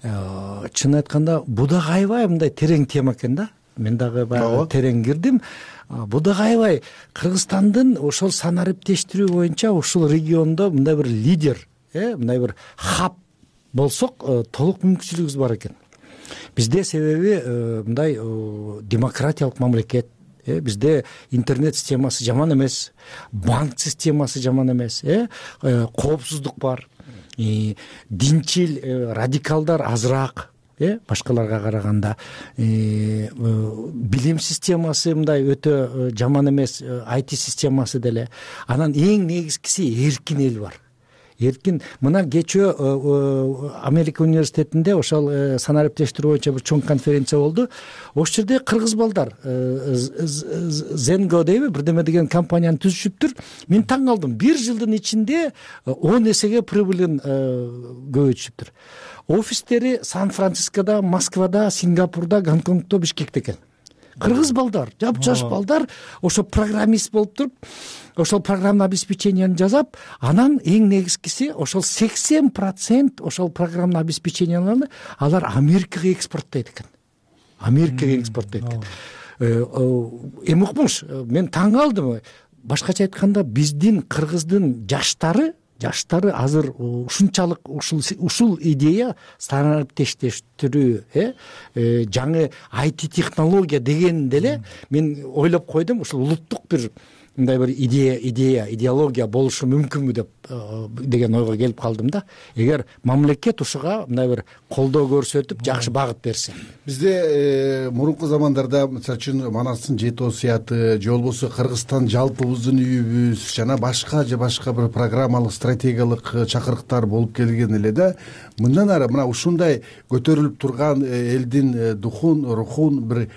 э чын айтканда бул дагы аябай мындай терең тема экен да. Мен дагы баягы терең кирдим. Бул дагы аябай Кыргызстандын ошол санариптештирүү боюнча ушул региондо мындай бир лидер, э мындай бир хаб болсок, толук мүмкүнчүлүгүбүз бар экен. Бизде себеби мындай демократиялык мамлекет, бизде интернет системасы жаман эмес, банк системасы жаман эмес, коопсуздук бар, динчил радикалдар азыраак, башкаларга караганда, билим системасы мындай өтө жаман эмес, ай ти системасы деле. Анан эң негизгиси эркин эл бар. Эркин. Мына кечөө Америка университетинде ошол санариптештирүү боюнча бир чоң конференция болду. Ошол жерде кыргыз балдар Zengo дейби, бирдеме деген компанияны түзүшүптүр. Мен таң калдым. Бир жылдын ичинде он эсеге прибылын көбөйтүшүптүр. Офистери Сан-Францискодо, Москвада, Сингапурда, Гонконгдо, Бишкекте экен. Кыргыз балдар, жап-жаш балдар ошо программист болуп туруп, ошол программный обеспечениени жасап, анан эң негизгиси ошол сексен процент ошол программный обеспеченияларды алар Америкага экспорттойт экен. Америкага экспорттойт экен. эми укмуш мен таң калдым. Башкача айтканда биздин кыргыздын жаштары жаштары азыр ушунчалык ушул ушул идея санариптештирүү жаңы ай ти технология деген деле мен ойлоп койдум, ушул улуттук бир мындай бир идея идея идеология болушу мүмкүнбү деп деген ойго келип калдым да. Эгер мамлекет ушуга мындай бир колдоо көрсөтүп жакшы багыт берсе. Бизде мурунку замандарда мисалы үчүн Манастын жети осуяты же болбосо Кыргызстан жалпыбыздын үйүбүз жана башка же башка бир программалык стратегиялык чакырыктар болуп келген эле да. Мындан ары мына ушундай көтөрүлүп турган элдин духун рухун бир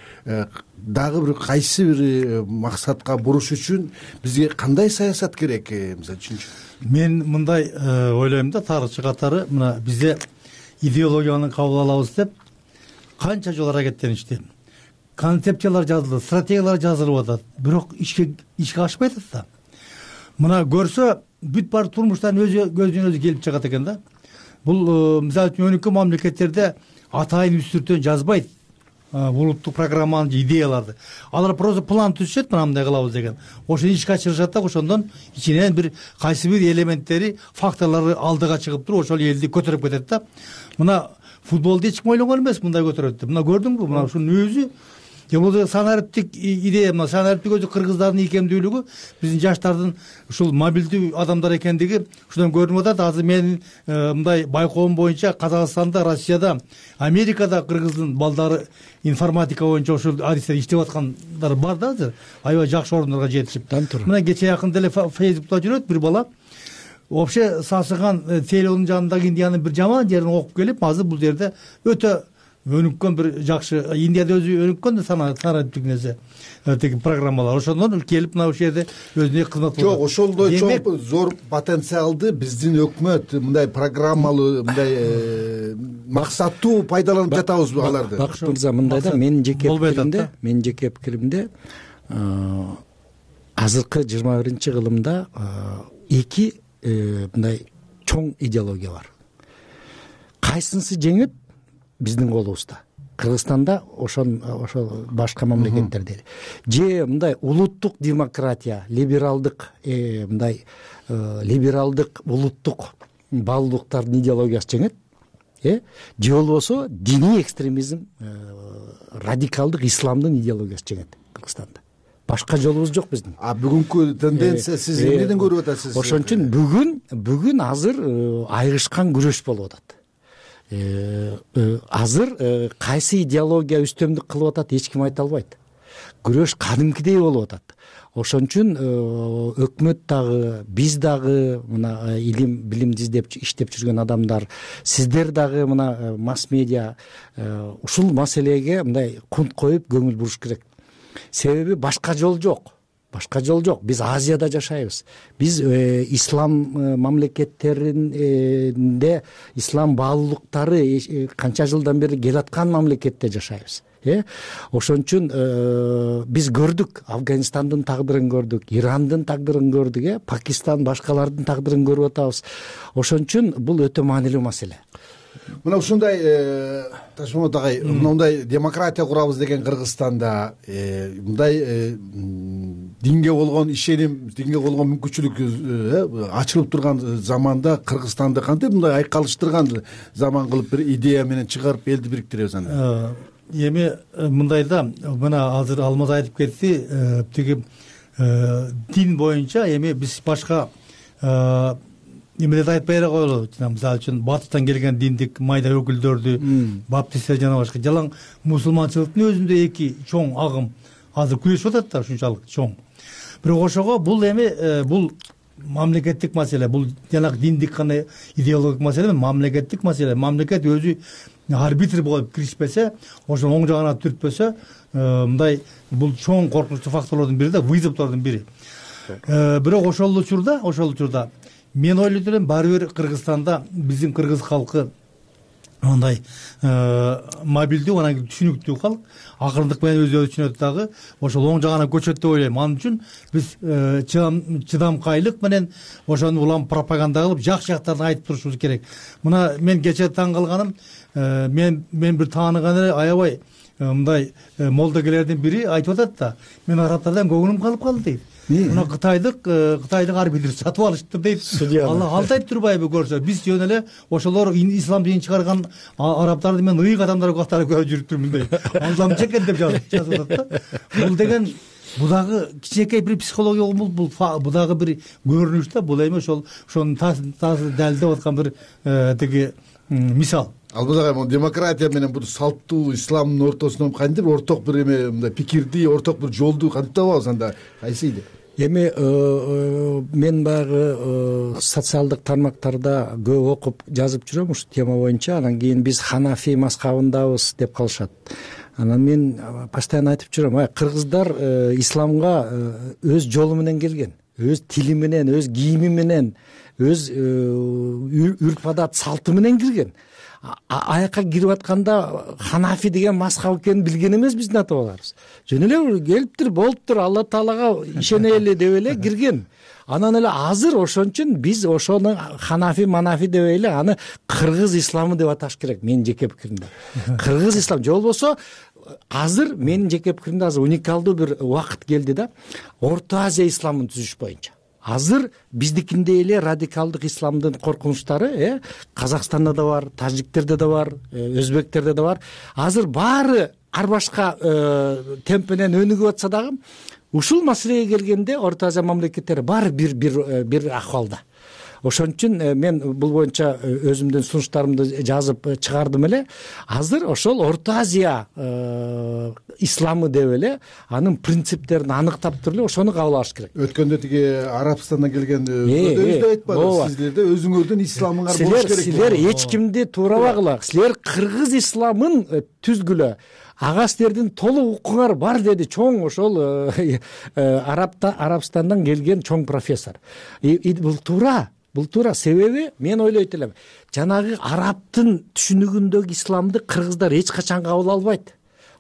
дагы бир кайсы бир максатка буруш үчүн бизге кандай саясат керек мисалы үчүн? Мен мындай ойлойм да, тарыхчы катары мына бизде идеологияны кабыл алабыз деп канча жолу аракеттеништи. Концепциялар жазылды, стратегиялар жазылып атат, бирок ишке ишке ашпай атат да. Мына көрсө бүт бар турмуштан өзү көзүнөн өзү келип чыгат экен да. Бул мисалы үчүн өнүккөн мамлекеттерде атайын үстүртөн жазбайт улуттук программаны же идеяларды. Алар просто план түзүшөт, мындай кылабыз деген. Ошону ишке ашырышат да, ошондон ичинен бир кайсы бир элементтери, факторлору алдыга чыгып туруп, ошол элди көтөрүп кетет да. Мына футболду эч ким ойлогон эмес мындай көтөрөт деп. Мына көрдүңбү, мына ушунун өзү же болбосо санариптик идея, мына санариптик өзү кыргыздардын ийкемдүүлүгү, биздин жаштардын ушул мобилдүү адамдар экендиги ушудан көрүнүп атат. Азыр менин мындай байкоом боюнча Казакстанда, Россияда, Америкада кыргыздын балдары информатика боюнча ушул адисте иштеп аткандар бар да азыр. Аябай жакшы орундарга жетишип. Мына кече жакында эле Фейсбукта жүрөт бир бала. Вообще сасыган Тейлонун жанындагы Индиянын бир жаман жерин окуп келип, азыр бул жерде өтө өнүккөн бир жакшы, Индияда өзү өнүккөн да санариптик нерсе, тиги программалар. Ошондон келип мына ушул жерде өзүнө кызмат кылат. Жок, ошолдой чоң зор потенциалды биздин өкмөт мындай программалуу, мындай максаттуу пайдаланып жатабызбы аларды? Бакыт мырза, мындай да, менин жеке пикиримде, менин жеке пикиримде азыркы жыйырма биринчи кылымда эки мындай чоң идеология бар. Кайсынысы жеңет биздин колубузда. Кыргызстанда ошон ошол башка мамлекеттерде же мындай улуттук демократия, либералдык мындай либералдык улуттук баалуулуктардын идеологиясы жеңет, э же болбосо диний экстремизм, радикалдык исламдын идеологиясы жеңет Кыргызстанда. Башка жолубуз жок биздин. А бүгүнкү тенденция сиз эмнеден көрүп атасыз? Ошон үчүн бүгүн бүгүн азыр айрышкан күрөш болуп атат. Азыр кайсы идеология үстөмдүк кылып атат эч ким айта албайт. Күрөш кадимкидей болуп атат. Ошон үчүн өкмөт дагы, биз дагы, мына илим билимди издеп иштеп жүргөн адамдар, сиздер дагы мына масс медиа ушул маселеге мындай кунт коюп көңүл буруш керек. Себеби башка жол жок. Башка жол жок. Биз Азияда жашайбыз. Биз ислам мамлекеттеринде ислам баалуулуктары канча жылдан бери келаткан мамлекетте жашайбыз. Э ошон үчүн биз көрдүк, Афганистандын тагдырын көрдүк, Ирандын тагдырын көрдүк, э Пакистан, башкалардын тагдырын көрүп атабыз. Ошон үчүн бул өтө маанилүү маселе. Мына ушундай Ташмамат агай, мындай демократия курабыз деген Кыргызстанда мындай динге болгон ишеним, динге болгон мүмкүнчүлүк ачылып турган заманда Кыргызстанды кантип мындай айкалыштырган заман кылып бир идея менен чыгарып элди бириктиребиз анда? Эми мындай да, мына азыр Алмаз айтып кетти, тиги дин боюнча эми биз башка эмелерди айтпай эле коелу. Мисалы үчүн батыштан келген диндик майда өкүлдөрдү, баптисттер жана башка жалаң мусулманчылыктын өзүндө эки чоң агым азыр күрөшүп атат да, ушунчалык чоң. Бирок ошого бул эми бул мамлекеттик маселе, бул жанагы диндик гана идеологик маселе, мамлекеттик маселе. Мамлекет өзү арбитр болуп киришпесе, ошо оң жагына түртпөсө, мындай бул чоң коркунучтуу факторлордун бири да, вызовдордун бири. Бирок ошол учурда, ошол учурда мен ойлойт элем, баары бир Кыргызстанда биздин кыргыз калкы мындай мобилдүү, анан түшүнүктүү калк, акырындык менен өзү түшүнөт дагы, ошол оң жагына көчөт деп ойлойм. Анын үчүн биз чыдамкайлык менен ошону улам пропаганда кылып, жакшы жактарын айтып турушубуз керек. Мына мен кечээ таң калганым, мен мен бир тааныган эле аябай мындай молдогерлердин бири айтып атат да, мен арабтардан көңүлүм калып калды дейт. Мына кытайдык кытайдык арбитр сатып алышыптыр дейт. Алла алдайт турбайбы көрсө, биз жөн эле ошолор ислам динин чыгарган арабтарды мен ыйык адамдар катары көрүп жүрүптүрмүн дейт. Алдамчы экен деп жазып атат да. Бул деген бул дагы кичинекей бир психология, бул бул дагы бир көрүнүш да, бул эми ошол ошону далилдеп аткан бир тиги мисал. Ал бул дагы демократия менен бул салттуу исламдын ортосунан кантип бир орток бир эме мындай пикирди, орток бир жолду кантип табабыз анда? Кайсы иде? Эми мен баягы социалдык тармактарда көп окуп жазып жүрөм ушул тема боюнча. Анан кийин биз ханафи мазхабындабыз деп калышат. Анан мен постоянно айтып жүрөм, ай кыргыздар исламга өз жолу менен келген, өз тили менен, өз кийими менен, өз үрп адат салты менен кирген. Аяка кирип атканда ханафи деген мазхаб экенин билген эмес биздин ата бабаларыбыз. Жөн эле келиптир, болуптур, Алла Таалага ишенели деп эле кирген. Анан эле азыр ошон үчүн биз ошону ханафи манафи дебей эле аны кыргыз исламы деп аташ керек, менин жеке пикиримде. Кыргыз ислам же болбосо азыр менин жеке пикиримде азыр уникалдуу бир убакыт келди да, Орто Азия исламын түзүш боюнча. Азыр биздикиндей эле радикалдык исламдын коркунучтары э Казакстанда да бар, тажиктерде да бар, өзбектерде да бар. Азыр баары ар башка темп менен өнүгүп атса дагы, ушул маселеге келгенде Орто Азия мамлекеттери баары бир бир бир акыбалда. Ошон үчүн мен бул боюнча өзүмдүн сунуштарымды жазып чыгардым эле. Азыр ошол Орто Азия исламы деп эле анын принциптерин аныктап туруп эле ошону кабыл алыш керек. Өткөндө тиги Арабстандан келген өкмөтүбүз айтпады, сиздерде өзүңөрдүн исламыңар болуш керек. Силер эч кимди туурабагыла, силер кыргыз исламын түзгүлө. Ага силердин толук укуңар бар деди чоң ошол Арабстандан келген чоң профессор. Бул туура. Бул туура. Себеби мен ойлойт элем, жанагы арабтын түшүнүгүндөгү исламды кыргыздар эч качан кабыл албайт.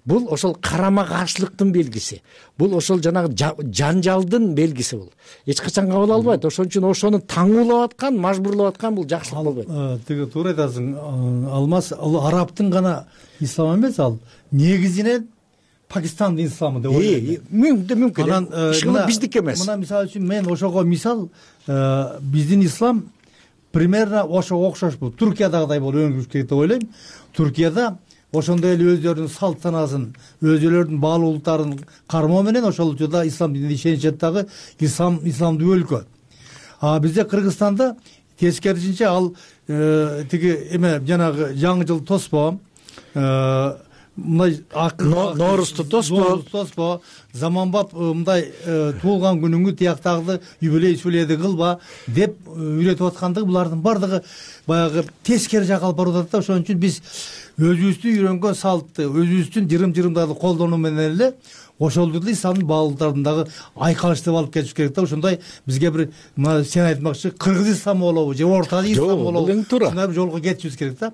Бул ошол карама каршылыктын белгиси. Бул ошол жанагы жанжалдын белгиси бул. Эч качан кабыл албайт. Ошон үчүн ошону таңуулап аткан, мажбурлап аткан бул жакшылык болбойт. Тиги туура айтасың. Алмаз, ал арабтын гана ислам эмес, ал негизинен Пакистандын исламы деп ойлойм. Мүмкүн. Анан биздики эмес. Мына мисалы үчүн мен ошого мисал, биздин ислам примерно ошого окшош бул. Туркиядагыдай болуп өнүгүш керек деп ойлойм. Туркияда ошондой эле өздөрүнүн салт санаасын, өзүлөрүнүн баалуулуктарын кармоо менен ошол учурда ислам динине ишенишет дагы ислам исламдуу өлкө. А бизде Кыргызстанда тескерисинче ал тиги эме жанагы жаңы жыл тоспо, мындай Ноорузду тоспо, тоспо, заманбап мындай туулган күнүңү тияктагы юбилей сүледи кылба деп үйрөтүп аткандыгы булардын бардыгы баягы тескери жакка алып барып атат да. Ошон үчүн биз өзүбүздүн үйрөнгөн салтты, өзүбүздүн жырым-жырымдарды колдонуу менен эле ошолду деле исламдын баалуулуктарын дагы айкалыштып алып кетиш керек да. Ошондой бизге бир мына сен айтмакчы кыргыз исламы болобу же Орто Азия исламы болобу, ушундай бир жолго кетишибиз керек да.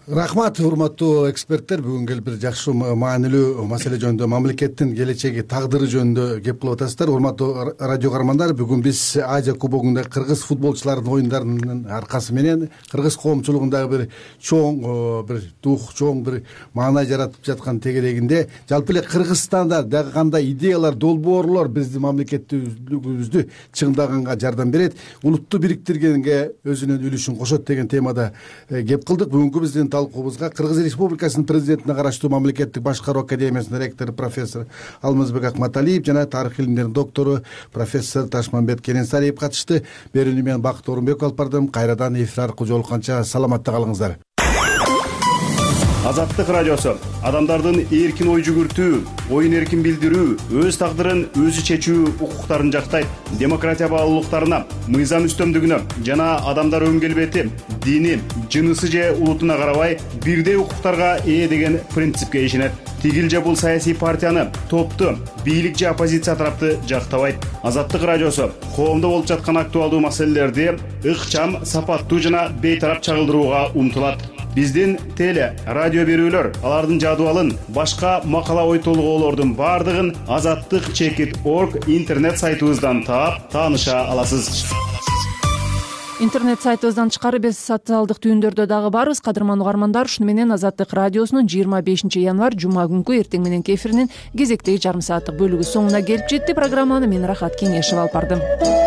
Рахмат, урматтуу эксперттер. Бүгүн келип бир жакшы маанилүү маселе жөнүндө, мамлекеттин келечеги, тагдыры жөнүндө кеп кылып атасыздар. Урматтуу радио каармандар, бүгүн биз Азия кубогунда кыргыз футболчуларынын оюндарынын аркасы менен кыргыз коомчулугундагы бир чоң бир дух, чоң бир маанай жаратып жаткан тегерегинде жалпы эле Кыргызстанда дагы кандай идеялар, долбоорлор биздин мамлекеттүүлүгүбүздү чыңдаганга жардам берет, улутту бириктиргенге өзүнүн үлүшүн кошот деген темада кеп кылдык. Бүгүнкү биздин талкуубузга Кыргыз Республикасынын президентине караштуу мамлекеттик башкаруу академиясынын ректору профессор Алмазбек Акматалиев жана тарых илимдеринин доктору профессор Ташмамбет Керенсариев катышты. Берүүнү мен Бакыт Орунбеков алып бардым. Кайрадан эфир аркылуу жолукканча саламатта калыңыздар. Азаттык радиосу адамдардын эркин ой жүгүртүү, оюн эркин билдирүү, өз тагдырын өзү чечүү укуктарын жактайт. Демократия баалуулуктарына, мыйзам үстөмдүгүнө жана адамдар өн келбети, дини, жынысы же улутуна карабай бирдей укуктарга ээ деген принципке ишенет. Тигил же бул саясий партияны, топту, бийлик же оппозиция тарапты жактабайт. Азаттык радиосу коомдо болуп жаткан актуалдуу маселелерди ыкчам, сапаттуу жана бейтарап чагылдырууга умтулат. Биздин теле, радио берүүлөр, алардын жадыбалын, башка макала ой толгоолордун бардыгын азаттык чекит точка орг интернет сайтыбыздан таап, тааныша аласыз. интернет сайтыбыздан тышкары биз социалдык түйүндөрдө дагы барбыз. Кадырман угармандар, ушуну менен Азаттык радиосунун жыйырма бешинчи январь жума күнкү эртең мененки эфиринин кезектеги жарым сааттык бөлүгү соңуна келип жетти. Программаны мен Рахат Кеңешева алып бардым.